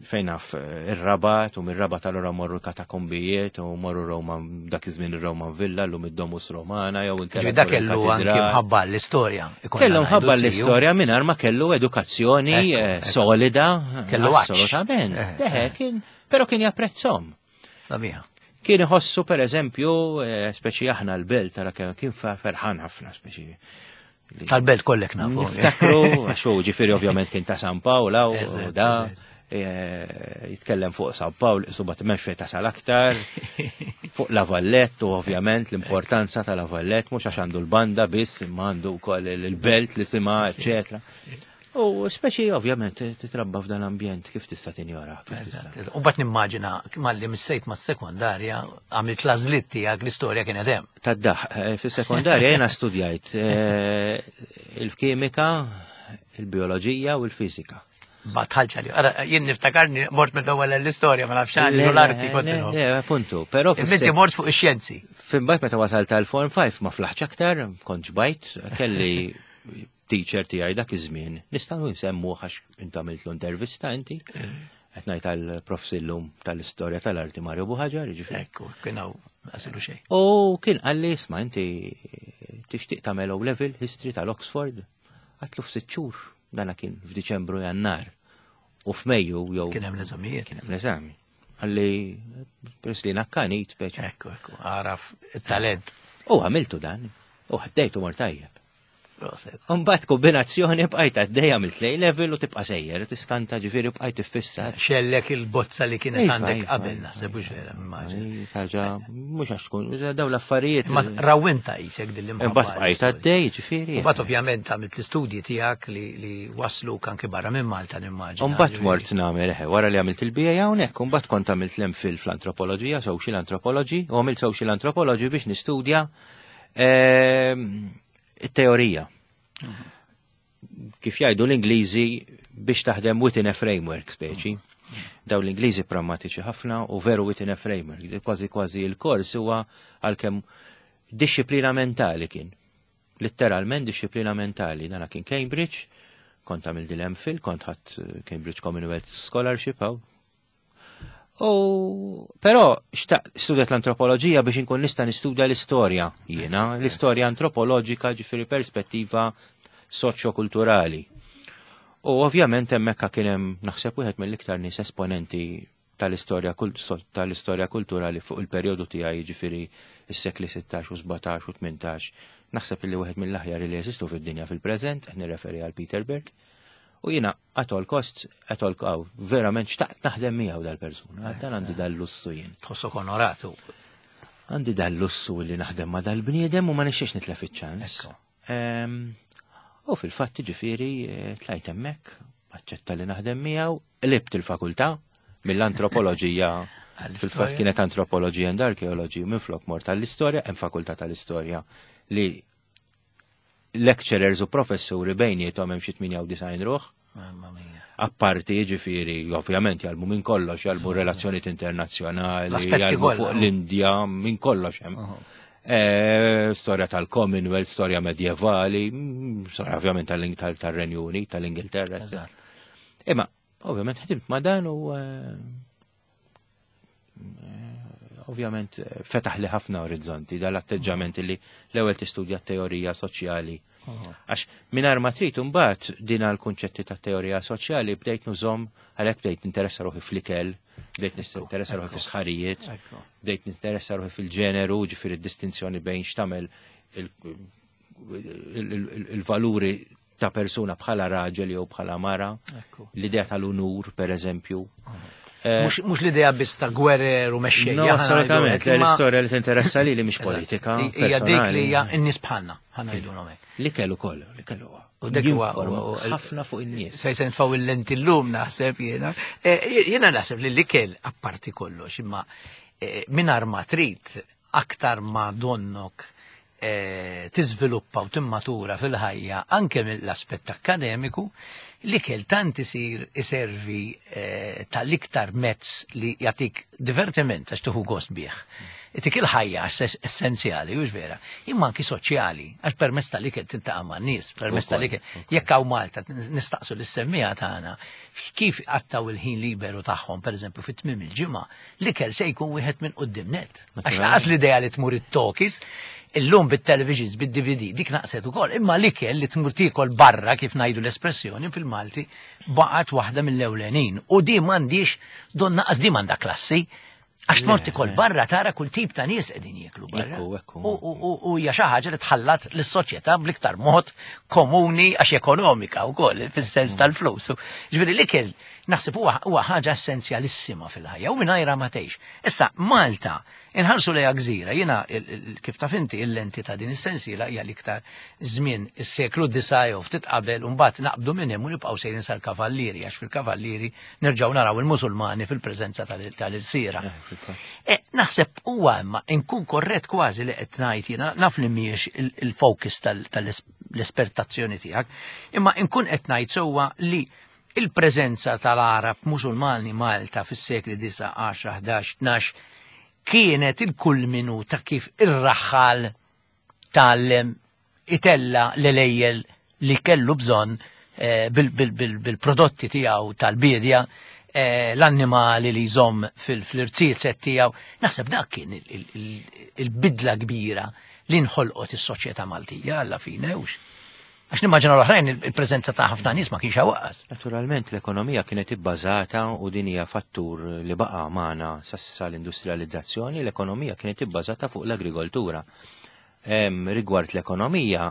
fejn naf ir-Rabat, u mir-Rabat allura morru katakombijiet u morru Roma, dak iż-żmien ir-Roman Villa, llum id-Domus Romana, jew inkella. Dak kellu anke mħabba l-istorja. Kellu mħabba l-istorja mingħajr ma kellu edukazzjoni solida. Kellu assolutament. Deħe kien, però kien japprezzhom. Sabiħa. Kien iħossu per eżempju, speċi aħna l-belt, tara kien ferħan ħafna speċi. Tal-belt kollek nafu. Niftakru, għax hu ġifieri ovvjament kien ta' San Pawl u da. Jitkellem fuq San Pawl, subat m'hemmx fejn tasal aktar, fuq La Vallette, u ovvjament l-importanza ta' La Vallette, mhux għax għandu l-banda biss, imma għandu wkoll il-belt li sima, eċetera. U speċi ovvjament titrabba f'dan l-ambjent kif tista' tinjora. U bat nimmaġina malli missejt mas-sekondarja għamilt l-għażliet tiegħek, l-istorja kienet hemm. Taddaħ, fis-sekondarja jiena studjajt il-kimika, il-bioloġija u l-fiżika. Ma tħallx għalli. Ara, jien niftakarni mort mill-ewwel l-istorja, ma nafx għalli l-arti kont Le, le, appuntu, però Inti mort fuq ix-xjenzi. Imbagħad meta wasalt tal-Form five ma flaħx aktar, kont ġbajt, kelli teacher tiegħi dak iż-żmien. Nistgħu nsemmu għax int għamiltlu intervista inti. Qed ngħid tal-prof Sillum tal-istorja tal-arti Mario Buhaġar, jiġifieri. Ekku, kien hawn għasilu xejn. U kien qalli, isma' inti tixtieq tagħmel O level history tal-Oxford. Għatlu f'sitt xhur, dana kien f'Diċembru Jannar. U f'Mejju jew Kien hemm l-eżamijiet. Kien hemm l-eżami. Għalli peress li nakkanit speċi. Ekku, ekku, għaraf it-talent. U għamiltu dan, u ħaddejtu mor tajjeb. Proset. Mbagħad kombinazzjoni bqajt għaddejja mill A level u tibqa' sejjer, tiskanta ġifieri bqajt iffissat. Xellek il-bozza li kienet Iva, għandek iva, qabel iva, naħseb iva. hux vera, immaġina. Iva, ħaġa mhux għax tkun, dawn l-affarijiet. Ma rawwinta qisek din l-imħabba. Imbagħad bqajt għaddej, ġifieri. Imbagħad ovvjament għamilt l-istudji tiegħek li, li waslu anke barra minn Malta nimmaġina. Imbagħad mort nagħmel eħe, wara li għamilt il-B A hawnhekk, imbagħad kont għamilt l-MPhil fl-antropoloġija, social anthropology, u għamilt social anthropology biex nistudja, ehm, it-teorija. Kif jgħidu l-Ingliżi biex taħdem within a framework speċi. Daw l-Ingliżi prammatiċi ħafna u veru within a framework. Kważi kważi il-kors huwa għalkemm disciplina mentali kien. Literalment disciplina mentali. Dana kien Cambridge, kont għamil dil-MPhil, kont ħadd Cambridge Commonwealth Scholarship hawn. U però xtaqt studjat l-antropoloġija biex inkun nista' nistudja l-istorja jiena, l-istorja antropoloġika ġifieri perspettiva soċjokulturali. U ovvjament hemmhekk kien hemm naħseb wieħed mill-iktar nies esponenti tal-istorja kult-, so-, tal-istorja kulturali fuq il-perjodu tiegħi, jiġifieri s-sekli sittax u sbatax u tmintax. Naħseb li wieħed mill-aħjar li jeżistu fid-dinja fil-preżent, qed nirreferi għal Peter Berg. U jiena at all costs, at all cost, verament xtaqt naħdem miegħu dal-persuna. Dan għandi dal-lussu jien. Tħossok onoratu. Għandi dal-lussu li naħdem ma' dal-bniedem u ma nixxiex nitlef iċ-ċans. Ekku. Ehm, u fil-fatt ġifieri, eh, tlajt hemmhekk, aċċetta li naħdem miegħu, qlibt il-fakultà mill-antropoloġija. Għall-istorja. Fil-fatt kienet antropoloġija and arkeoloġija, minflok mort tal-istorja, hemm fakultà tal-istorja li lecturers u professuri bejniethom hemm xi tmienja u disgħin ruħ. Mamma mia. Apparti ġifieri, ovvjament jgħallmu minn kollox, jgħallmu relazzjonijiet internazzjonali, L-aspetti jgħallmu kollha, fuq no? l-Indja, minn kollox hemm. Aha. Eh, storja tal-Commonwealth, storja medjevali, mm, storja ovvjament tal-Renju Unit, tal-Ingilterra. Imma, ovvjament ħdimt ma' dan u eh, eh, ovvjament fetaħ li ħafna orizzonti dal-atteġġament li l-ewwel tistudja teorija soċjali. Għax mingħajr ma trid imbagħad din għal-kunċetti ta' teorija soċjali bdejt nużahom, għalhekk bdejt ninteressa ruħi fl-ikel, bdejt ninteressa ruħi fis-sħarijiet, bdejt ninteressa ruħi fil-ġeneru, ġifieri distinzjoni bejn x'tagħmel il-valuri ta' persuna bħala raġel jew bħala mara, l-idea tal-unur, per eżempju. Eh, mhux l-idea biss ta' gwerer u mexxejja. No, assolutament, l-istorja li tinteressa li li mhix politika. Hija dik li hija n-nies bħalna, ħa ngħidu. Li kellu kollu, li kellu. U dak huwa ħafna fuq in-nies. Sej se nitfgħu il-lenti llum naħseb jiena. Eh, jiena naħseb li l-ikel apparti kollox, imma eh, mingħajr ma trid aktar ma donnok tiżviluppa u timmatura fil-ħajja anke mill-aspett akkademiku, l-ikel tant isir iservi eh, tal-iktar mezz li jagħtik divertiment għax tieħu gost bih. Itik il-ħajja għax essenzjali, hux vera, imma anki soċjali, għax permezz tal-ikel tiltaqa' man-nies, permezz tal-ikel. Jekk hawn Malta nistaqsu lis-semmiegħa tagħna kif qattgħu il-ħin liberu tagħhom, pereżempju fit-tmiem il-ġimgħa, l-ikel se jkun wieħed minn quddiem net. Għax laqas l-idea li tmur it-talkies, illum bit-televisions, bid-D V D, dik naqset ukoll, imma l-ikel li tmur tiekol barra, kif ngħidu l-espressjoni fil-Malti, baqgħet waħda mill-ewlenin. U di m'għandix don naqas di m'għandha klassi, għax tmur tiekol barra tara kull tip ta' nies qegħdin jieklu barra. U hija xi ħaġa li tħallat lis-soċjetà bl-iktar mod komuni għax ekonomika wkoll fis-sens tal-flus. Ġifieri l-ikel naħseb huwa ħaġa essenzjalissima fil-ħajja u mingħajrha ma tgħix. Issa Malta inħarsu lejha gżira, jiena kif taf inti il-lenti ta' din is-sensiela hija l-iktar żmien is-seklu disa' jew ftit qabel u mbagħad naqbdu minn hemm u nibqgħu sejrin sal-Kavallieri għax fil-Kavallieri nerġgħu naraw il-Musulmani fil-preżenza tal-ilsiera. Naħseb huwa imma inkun korrett kważi li qed ngħid jiena naf li mhijiex il-focus tal-espertazzjoni tiegħek, imma inkun qed ngħid sewwa li il-preżenza tal-Arab Musulmani Malta fis-sekli disa', għaxra, ħdax, tnax kienet il-kulminu ta' kif ir-raħħal tgħallem itella l-elejjel li kellu bżonn bil-prodotti tiegħu tal-bidja, l-annimali li jżomm fil-irziezet tiegħu. Naħseb dak kien il-bidla kbira li nħolqot is-soċjetà Maltija alla fine hux. Għax nimmaġina l-oħrajn il-preżenza ta' ħafna nies ma kienx hawn. Naturalment l-ekonomija kienet ibbażata u din hija fattur li baqa' magħna sal-industrializzazzjoni, l-ekonomija kienet ibbażata fuq l-agrikoltura. Rigward l-ekonomija,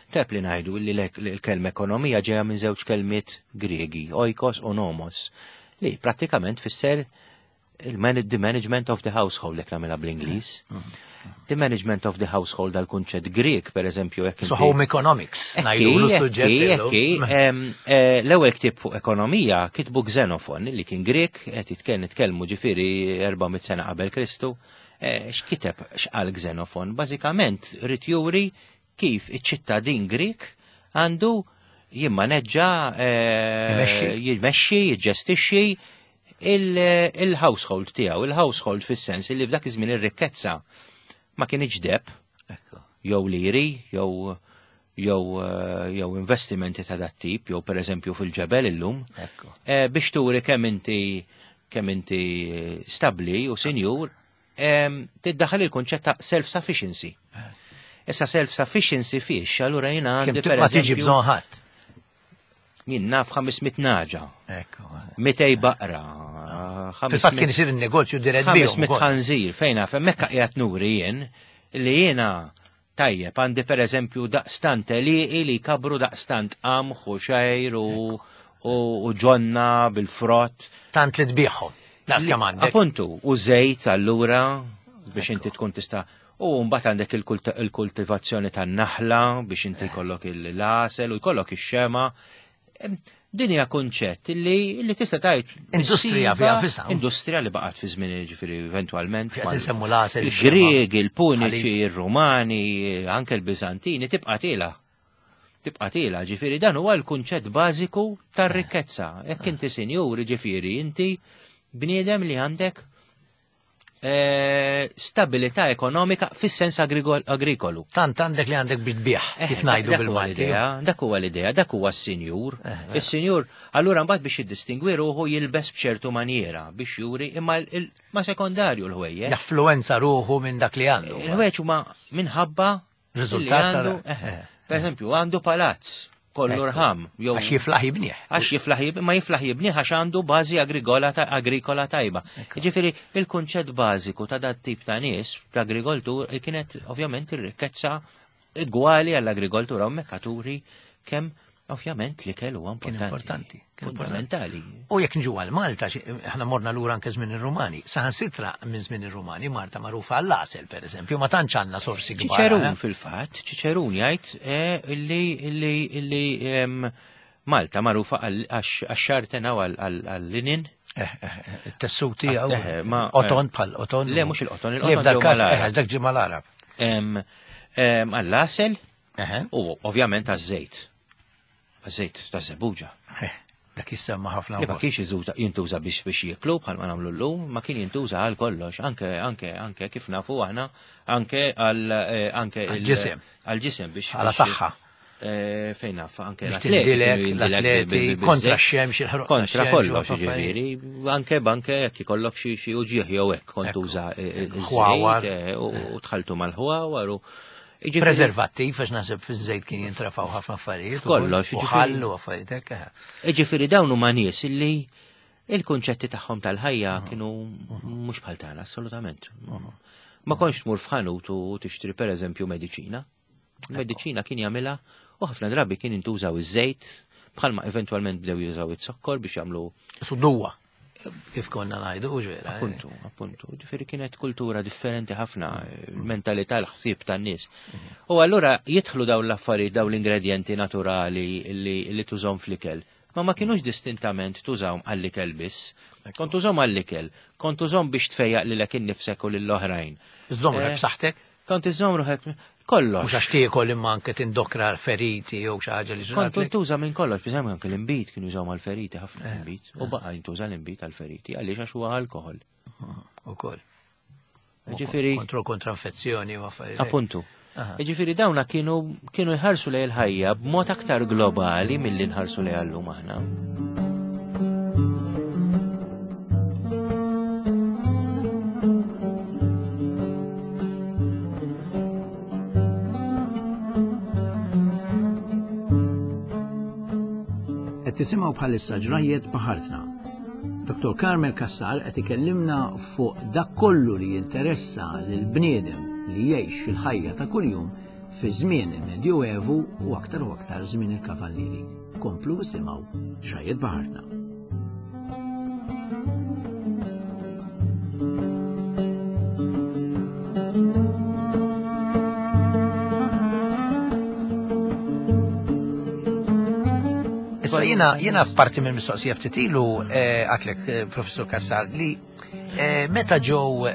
tep li ngħidu li l-kelma ekonomija ġejja minn żewġ kelmiet Griegi, oikos u nomos, li prattikament fisser the management of the household, jekk nagħmilha bl-Ingliż. The management of the household dal-kunċett Grek, per eżempju. So home economics, ngħidu l-suġġett. L-ewwel ktieb fuq ekonomija kitbu Xenofon, li kien Grek, qed nitkellmu ġifieri erba' mitt sena qabel Kristu. X'kiteb x'qal Xenofon? Bażikament rid juri kif iċ-ċittadin Grek għandu jimmaneġġa, jimexxi, jiġġestixxi il-household tiegħu, il-household fis-sens li f'dak iż-żmien ir-rikkezza ma kienx deheb, jew liri, jew jew jew investimenti ta' dat tip, jew pereżempju fil-ġebel illum, biex turi kemm inti kemm inti stabbli u sinjur, tiddaħħal il-kunċett ta' self-sufficiency. Issa self-sufficiency fiex, allura jiena għandi per ma tiġi bżonn ħadd. Jien naf ħames mitt naġa. Mitej baqra. Fil-fatt kien isir in-negozju dirett bihom. Ħames mitt ħanżir fejn naf hemmhekk qiegħed nuri jien li jiena tajjeb għandi pereżempju daqstant li li kabru daqstant qamħ u xejr u ġonna bil-frott. Tant li tbieħhom. Daqs kemm għandek. Appuntu, u żejt allura biex inti tkun tista' u mbagħad għandek il-kultivazzjoni tan-naħla biex inti jkollok il-għasel u jkollok ix-xema. Din hija kunċett li li tista' tgħid industrija fiha fisa. Industrija li baqgħet fi żmien ġifieri eventwalment. Qed insemmu l-għasel. Il-Griegi, il-Puniċi, ir-Rumani, anke l-Biżantini tibqa' tiela. Tibqa' tiela, ġifieri dan huwa l-kunċett bażiku tar-rikkezza. Jekk inti sinjur, ġifieri inti bniedem li għandek eh, stabilità ekonomika fis-sens agrikolu. Tant għandek li għandek biex tbieħ, kif ngħidu bil-Malti. Dak huwa l-idea, dak huwa s-sinjur. Is-sinjur, allura mbagħad biex jiddistingwi ruħu jilbes b'ċertu maniera biex juri imma ma sekondarju l-ħwejjeġ. Jaffluenza ruħu minn dak li għandu. Il-ħwejjeġ huma minħabba riżultat. Per eżempju, għandu palazz kollu rħam. Għax jiflaħ jibnieh. Għax jiflaħ jibnieh, ma jiflaħ jibnieh għax għandu bażi agrikola tajba. Jiġifieri il-kunċett bażiku ta' dat tip ta' nies, l-agrikoltur, kienet ovvjament ir-rikkezza igwali għall-agrikoltura u mekkaturi kemm ovvjament li kellu huwa importanti. Fundamentali. U jekk nġu għal Malta, aħna morna lura anke żmien ir-Rumani. Saħansitra minn żmien ir-Rumani Malta magħrufa għall-għasel pereżempju, ma tantx għandna sorsi kbar. Ċiċerun fil-fatt, Ċiċerun jgħid illi illi illi Malta magħrufa għax-xartena u għall-linin. It-tessuti jew qoton bħal qoton. Le mhux il-qoton, il-qoton. Dak ġie mal-Arab. Għall-għasel u ovvjament għaż-żejt. Għaż-żejt ta' żebbuġa. Dak jissemma ħafna. Ma kienx jintuża biex biex jieklu bħalma nagħmlu llum, ma kien jintuża għal kollox, anke anke anke kif nafu aħna anke għal anke għall-ġisem. Għall-ġisem biex għala saħħa. Fejn naf anke l-atleti kontra x-xemx, il-ħruq. Kontra kollox, jiġifieri, anke banke jekk ikollok xi xi uġieħ jew hekk kont tuża iż-żejt u tħaltu mal-ħwawar u Preservattiv, għax naħseb fiż-żejt kien jintrafaw ħafna affarijiet. Kollox, u ħallu affarijiet hekk. Jiġifieri dawn huma nies illi il-kunċetti tagħhom tal-ħajja kienu mhux bħal tagħna assolutament. Ma kontx tmur f'ħanut u tixtri pereżempju mediċina. Mediċina kien jagħmilha u ħafna drabi kien intużaw iż-żejt bħalma eventwalment bdew jużaw iz-zokkor biex jagħmlu Suduwa. Kif konna ngħidu u ġera. Appuntu, appuntu. Ġifieri kienet kultura differenti ħafna, mentalità l-ħsieb tan-nies. U allura jidħlu dawn l-affarijiet, dawn l-ingredjenti naturali li tużhom fl-ikel. Ma ma kienux distintament tużawhom għall-ikel biss. Kont tużhom għall-ikel, kont tużhom biex tfejjaq lilek innifsek u lill-oħrajn. Iżżomm ruħek b'saħħtek? Kont iżżomm ruħek kollox. Mhux għax tiekol imma anke tindokra l-feriti jew xi ħaġa li ġrat. Kont tuża minn kollox, biex anke l-inbid kienu jużaw mal-feriti ħafna l-inbid. U baqa' jintuża l-inbid għall-feriti għaliex għax huwa alkoħol. Ukoll. Ġifieri kontro kontra infezzjoni u affarijiet. Appuntu. Ġifieri dawna kienu kienu jħarsu lejn il-ħajja b'mod aktar globali milli nħarsu lejha llum aħna. Qed tisimgħu bħalissa Ġrajjiet Baħartna. Doktor Carmel Cassar qed ikellimna fuq dak kollu li jinteressa lil bniedem li jgħix fil-ħajja ta' kuljum fi żmien il-Medjuevu u aktar u aktar żmien il-Kavallieri. Komplu isimgħu Ġrajjiet Baħartna. Issa jiena jiena parti minn mistoqsija ftit ilu għatlek Professur Cassar li meta ġew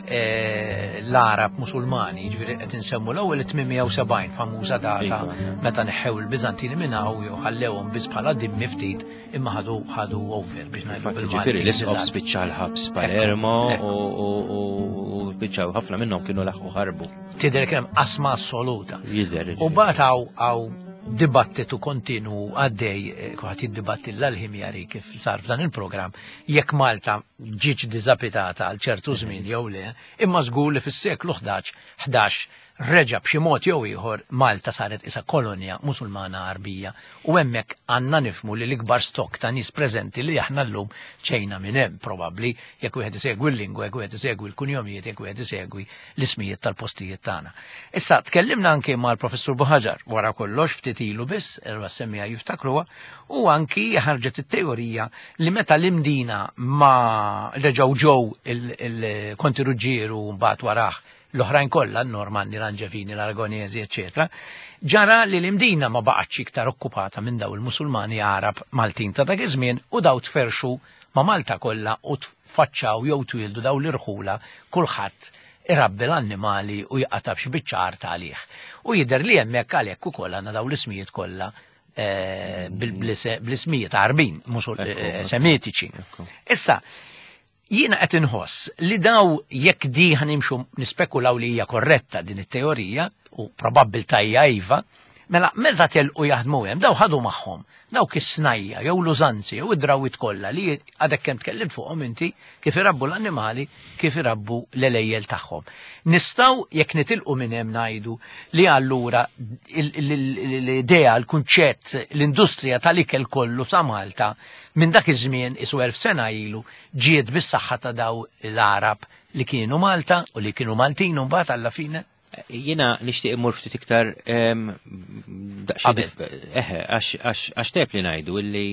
l-Arab Musulmani, ġifieri qed insemmu l-ewwel tmien mija u sebgħin famuża data meta neħħew il-Biżantini minn hawn jew ħallewhom biss bħala dimmi ftit imma ħadu ħadu over biex ngħidu bil-Malti. Ġifieri l-isqof spiċċa l-ħabs Palermo u spiċċaw ħafna minnhom kienu laħqu ħarbu. Tidher kien hemm qasma assoluta. Jidher. U mbagħad hawn dibattitu kontinu għaddej, kuħat jiddibatti l-ħimjari kif sar f'dan il-programm, jekk Malta ġietx diżapitata għal ċertu żmien jew le, imma żgur li fis-seklu ħdax reġa' b'xi mod jew ieħor Malta saret isa kolonja Musulmana Arbija u hemmhekk għandna nifhmu li l-ikbar stok ta' nies preżenti li aħna llum ċejna minn hemm probabbli jekk wieħed isegwi l-lingwa, jekk wieħed isegwi l-kunjomijiet, jekk wieħed isegwi l-ismijiet tal-postijiet tagħna. Issa tkellimna anke mal-Professur Buħaġar wara kollox ftit ilu biss, erba' semmija jiftakruha, u anki ħarġet it-teorija li meta l-Imdina ma reġgħu ġew il-Konti Ruġġieru mbagħad warah l-oħrajn kollha, n-Normanni, l-Anġevini, l-Aragonesi, eċċetera, ġara li l-Imdina ma baqgħetx iktar okkupata minn daw il-Musulmani Arab Maltin ta' dak iż-żmien u daw tferxu ma' Malta kollha u tfaċċaw jew twildu daw l-irħula kulħadd irabbi l-annimali u jqata' b'xi biċċa art għalih. U jidher li hemmhekk għalhekk ukoll għandna daw l-ismijiet kollha bl-ismijiet Arbin, semitiċi. Issa, Jiena qed inħoss li daw jekk di ħanimxu nispekulaw li hija korretta din it-teorija u probabbiltà hija iva, mela meta telqu jaħdmu hemm daw ħadu magħhom dawk is-snajja jew l-użanzi jew id-drawwiet kollha li għadek kemm tkellimt fuqhom inti kif irabbu l-annimali, kif irabbu l-elejjel tagħhom. Nistgħu jekk nitilqu minn hemm ngħidu li allura l-idea, l-kunċett, l-industrija tal-ikel kollu sa Malta minn dak iż-żmien isu elf sena ilu ġiet bis-saħħa ta' daw l-Arab li kienu Malta u li kienu Maltin u mbagħad alla fine. Jiena nixtieq immur ftit iktar daqsxejn eħe għax tep li ngħidu illi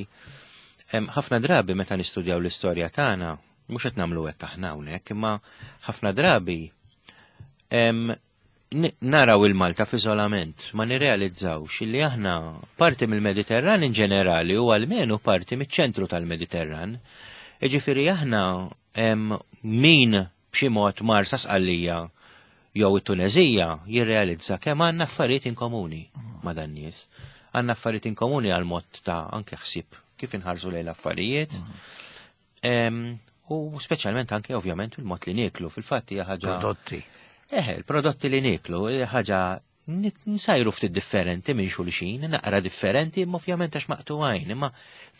ħafna drabi meta nistudjaw l-istorja tagħna mhux qed nagħmlu hekk aħna hawnhekk, imma ħafna drabi naraw il-Malta f'iżolament, ma nirrealizzawx illi aħna parti mill-Mediterran in ġenerali u almenu parti miċ-ċentru tal-Mediterran. Jiġifieri aħna min b'xi mod mar sa Sqallija jew it-Tunezija jirrealizza kemm għandna affarijiet inkomuni ma' dan nies. Għandna affarijiet inkomuni għal mod ta' anke ħsieb kif inħarsu lejn l-affarijiet. U speċjalment anke ovvjament il-mod li nieklu, fil-fatt hija ħaġa. Prodotti. Eħe, il-prodotti li nieklu hija ħaġa nsajru ftit differenti minn xulxin, naqra differenti, imma ovvjament għax maqtugħin, imma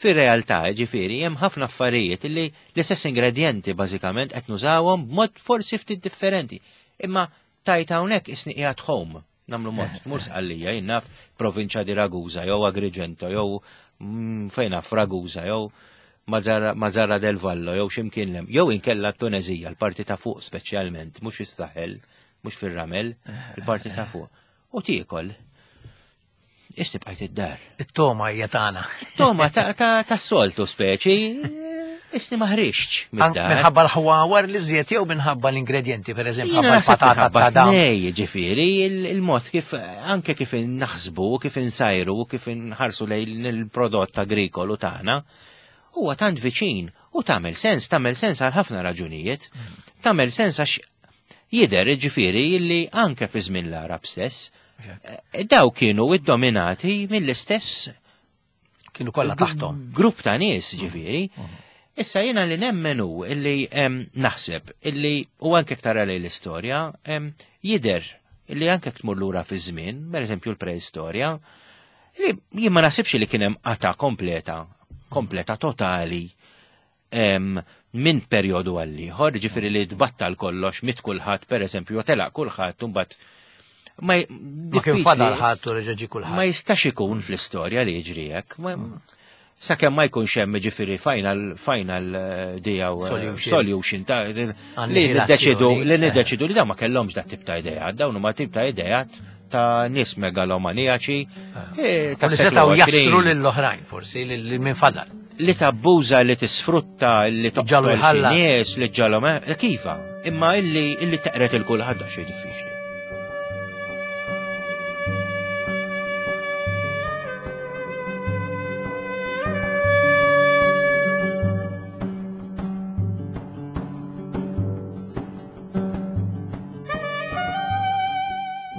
fir-realtà ġifieri hemm ħafna affarijiet li l-istess ingredjenti bażikament qed nużawhom b'mod forsi ftit differenti. Imma tajt hawnhekk isni qiegħed home, nagħmlu mod, tmur Sqallija, jien naf provinċja di Ragusa jew Agrigento jew fejn naf Ragusa jew Mazzara del Vallo jew x'imkien lem, jew inkella t-Tunezija, l-parti ta' fuq speċjalment, mhux fis-Saħel, mhux fir-Ramel, il-parti ta' fuq. U tiekol. Isni bqajt id-dar. It-toma hija tagħna. Toma tas-soltu speċi. Isni ma ħriġtx mid-dar. Minħabba l-ħwawar li żjed jew minħabba l-ingredjenti, per eżempju, ħabba l-patata ta' dam. Nej, ġifieri, il-mod kif anke kif naħsbu, kif insajru, kif inħarsu lejn il-prodott agrikolu tagħna, huwa tant viċin u tagħmel sens, tagħmel sens għal ħafna raġunijiet. Tagħmel sens għax jidher ġifieri li anke fi żmien l-Arab stess, daw kienu iddominati mill-istess kienu kollha taħthom. Grupp ta' nies ġifieri. Issa jiena li nemmenu illi naħseb illi u anke tara lejn l-istorja jidher illi anke tmur lura fi żmien, pereżempju l-preistorja, li jien ma naħsibx li kien hemm qata kompleta, kompleta totali minn perjodu għal ieħor, ġifieri li tbattal kollox, mit kulħadd pereżempju, jew telaq kulħadd u mbagħad ma Ma kien fadal ħadd u reġa' ġie kulħadd. Ma jistax ikun fl-istorja li jiġri hekk. Sakemm ma jkunx hemm ġifieri final final dijaw solution ta' li niddeċidu li niddeċidu li dawn ma kellhomx dak tip ta' idea, dawn huma tip ta' ideat ta' nies megalomaniaċi ta' setgħu jaslu lill-oħrajn forsi lil min fadal. Li tabbuża, li tisfrutta, li toqtol nies, li ġalhom kifa, imma illi illi teqret il kulħadd xejn diffiċli.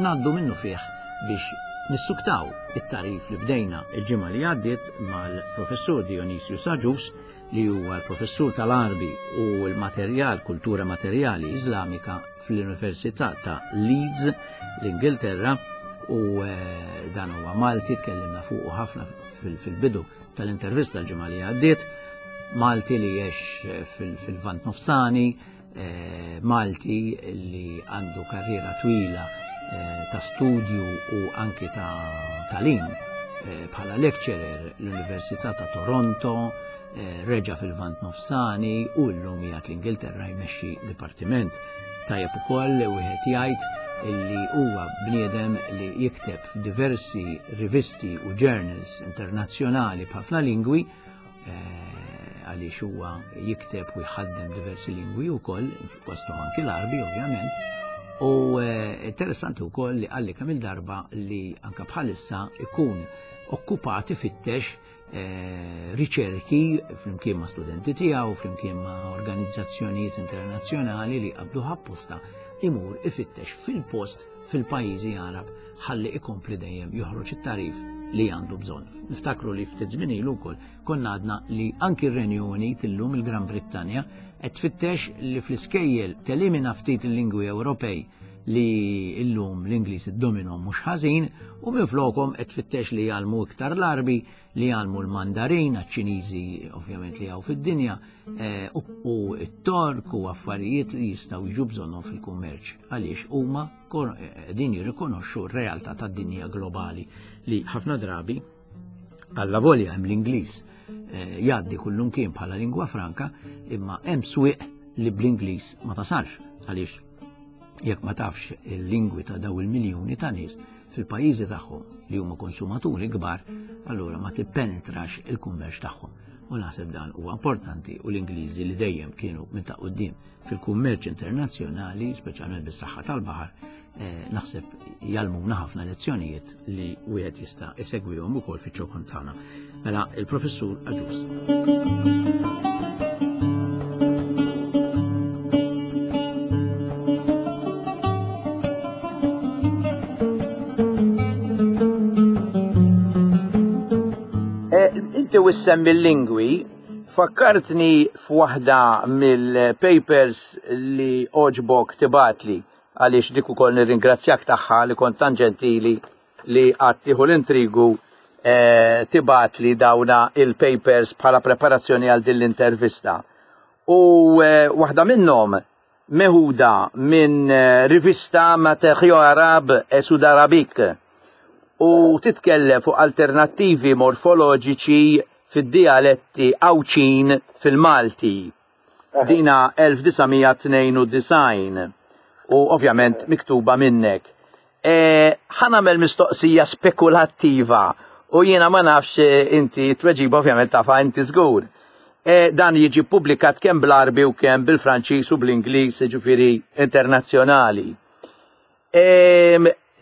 Naddu minnu fih biex nissuktaw it-tarif li bdejna il-ġimgħa li għaddiet mal-professur Dionysius Agius li huwa l-professur tal-Arbi u l-materjal, kultura materjali Iżlamika fl-Università ta' Leeds, l-Ingilterra, u dan huwa Malti, tkellimna fuqu ħafna fil-bidu tal-intervista l-ġimgħa li għaddiet, Malti li jgħix fil-Lvant Nofsani, Malti li għandu karriera twila ta' studju u anki ta' talim bħala lecturer l-Università ta' Toronto, reġa fil-Lvant Nofsani u llum qiegħed l-Ingilterra jmexxi dipartiment. Tajjeb ukoll wieħed jgħid illi huwa bniedem li jikteb f'diversi rivisti u journals internazzjonali b'ħafna lingwi, għaliex huwa jikteb u jħaddem diversi lingwi wkoll, fosthom anki l-Arbi ovvjament. U interessanti wkoll li qalli kemm il-darba li anke bħalissa ikun okkupati fittex riċerki flimkien ma' studenti tiegħu, flimkien ma' organizzazzjonijiet internazzjonali li qabduh apposta imur ifittex fil-post fil-pajjiżi Arab ħalli ikompli dejjem joħroġ it-tarif li għandu bżonn. Niftakru li ftit żmien ilu wkoll konna għadna li anki r-Renju Unit illum il-Gran Brittanja qed tfittex li fl-iskejjel telimina ftit il-lingwi Ewropej li illum l-Ingliż iddominom mhux ħażin u minflokhom qed tfittex li jgħallmu iktar l-Arbi, li jgħallmu l-Mandarin, għaċ-Ċiniżi ovvjament li hawn fid-dinja, eh, u u t-Tork u affarijiet li jistgħu jiġu bżonnhom fil-kummerċ għaliex huma kor- qegħdin jirrikonoxxu r-realtà tad-dinja globali li ħafna drabi alla volja hemm l-Ingliż eh, jgħaddi kullum kien bħala lingwa franka, imma hemm swieq li bl-Ingliż ma tasalx għaliex jekk ma tafx il-lingwi ta' daw il-miljuni ta' nies fil-pajjiżi tagħhom li huma konsumaturi kbar, allura ma tippenetrax il-kummerċ tagħhom. U naħseb dan huwa importanti u l-Ingliżi li dejjem kienu minn ta' quddiem fil-kummerċ internazzjonali, speċjalment bis-saħħa tal-baħar, eh, naħseb jgħallmuna ħafna lezzjonijiet li wieħed jista' isegwihom ukoll fiċ-ċokon tagħna. Mela il-Professur Agius. Eh, Inti wissemmi l-lingwi, fakkartni f'waħda mill-papers li oġbok tibgħatli għaliex dik ukoll nirringrazzjak tagħha li kont tant ġentili li għad tieħu l-intrigu eh, tibgħatli dawna il-papers bħala preparazzjoni għal din l-intervista. U eh, waħda minnhom meħuda minn eh, rivista Matériaux Arabes et Sudarabiques u titkellem fuq alternattivi morfoloġiċi fid-dialetti Għawdxin fil-Malti. Dina elf disa' mija tnejn u disgħin u ovvjament miktuba minnek. E, ħa nagħmel mistoqsija spekulattiva u jiena ma nafx eh, inti tweġiba ovvjament tafa inti żgur. E, dan jiġi publikat kemm bl-Arbi u kemm bil-Franċiż u bl-Ingliż, ġifieri internazzjonali. E,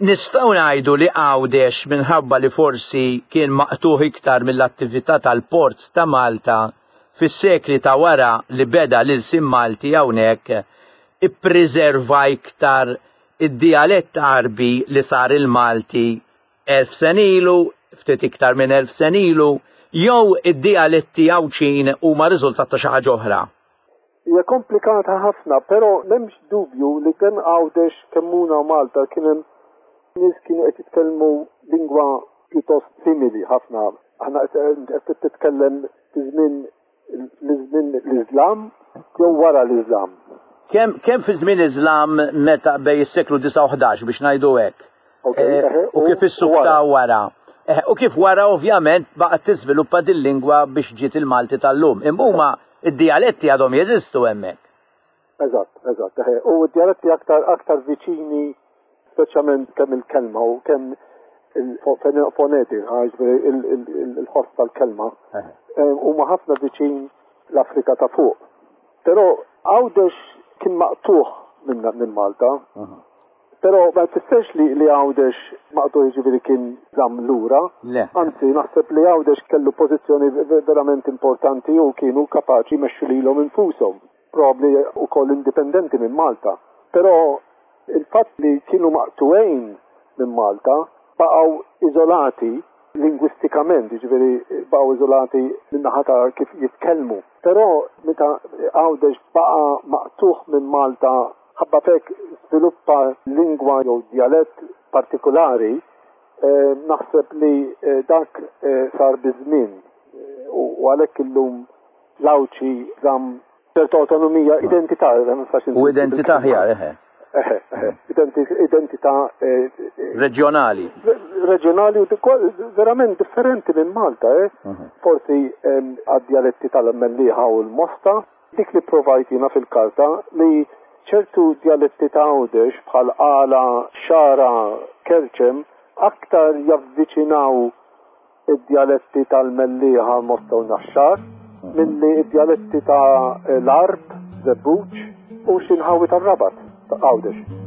Nistgħu ngħidu li Għawdex minħabba li forsi kien maqtuħ iktar mill-attività tal-port ta' Malta fis-sekli ta' wara li beda l-ilsien Malti hawnhekk ippreserva iktar id-dialett Arbi li sar il-Malti elf sena ilu, ftit iktar minn elf sena ilu, jew id-dialetti Għawdxin huma riżultat ta' xi ħaġa oħra. Hija komplikata ħafna, però m'hemmx dubju li kemm Għawdex kemm u Malta kien hemm nies kienu qed jitkellmu lingwa pjuttost simili ħafna. Aħna qed titkellem fi żmien l-żmien l-Iżlam jew wara l-Iżlam. Kemm kemm fi żmien Iżlam meta bej is-seklu disgħa u ħdax biex ngħidu hekk. Okay, Eh, eħe, u kif is-sukta wara. Eh, U kif wara ovvjament baqgħet tiżviluppa din lingwa biex ġiet il-Malti tal-lum. Imma huma id-dialetti għadhom jeżistu hemmhekk. Eżatt, eżatt. eħe. U d-dialetti aktar aktar viċini, speċjalment kemm il-kelma u kemm il-fonetika, ġifieri il-ħoss tal-kelma, eh, huma ħafna viċin l-Afrika ta' fuq. Però Għawdex kien maqtuħ minn minn Malta. Però ma tfissirx li li Għawdex maqtuħ ġifieri kien żamm lura. Le. Anzi, naħseb li Għawdex kellu pożizzjoni verament importanti u kienu kapaċi jmexxu lilhom infushom. Probabbli wkoll indipendenti minn Malta. Però il-fatt li kienu maqtuwejn minn Malta baqgħu iżolati lingwistikament, ġifieri baqgħu iżolati min-naħa ta' kif jitkellmu. Però meta Għawdex baqa' maqtuħ minn Malta ħabba fek sviluppa lingwa jew dialett partikolari, eh, naħseb li eh, dak eh, sar biż-żmien Eh, u u għalhekk illum l-Għawdxi żamm ċerta autonomija, identità, ma nistax U identità aħjar, eħe. Eħe, eħe, identi- identità eh, eh, Reġjonali. reġjonali u dikol- verament differenti minn Malta, eh? Forsi em, għad-dialetti tal-Mellieħa u l-Mosta, dik li provajt jiena fil-karta li ċertu dialetti ta' Għawdex bħal Qala, Xagħra, Kerċem aktar javviċinaw id-dialetti tal-Mellieħa, Mosta u Naxxar milli id-dialetti ta' l-Għarb, Żebbuġ u xi nħawi tar-Rabat ta' Għawdex.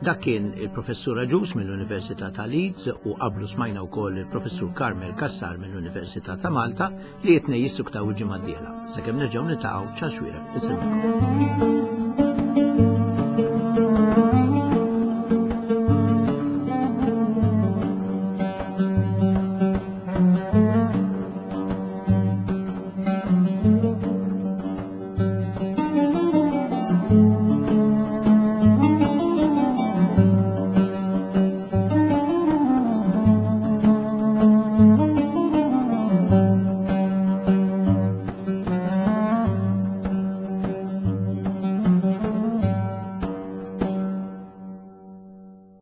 Dak kien il-Professur Agius mill-Università ta' Leeds u qablu smajna wkoll il-Professur Carmel Cassar mill-Università ta' Malta li jitnej jissuktaw il-ġimgħa d-dieħla. Sakemm nerġgħu niltaqgħu, Charles Xuereb, insellmilkom.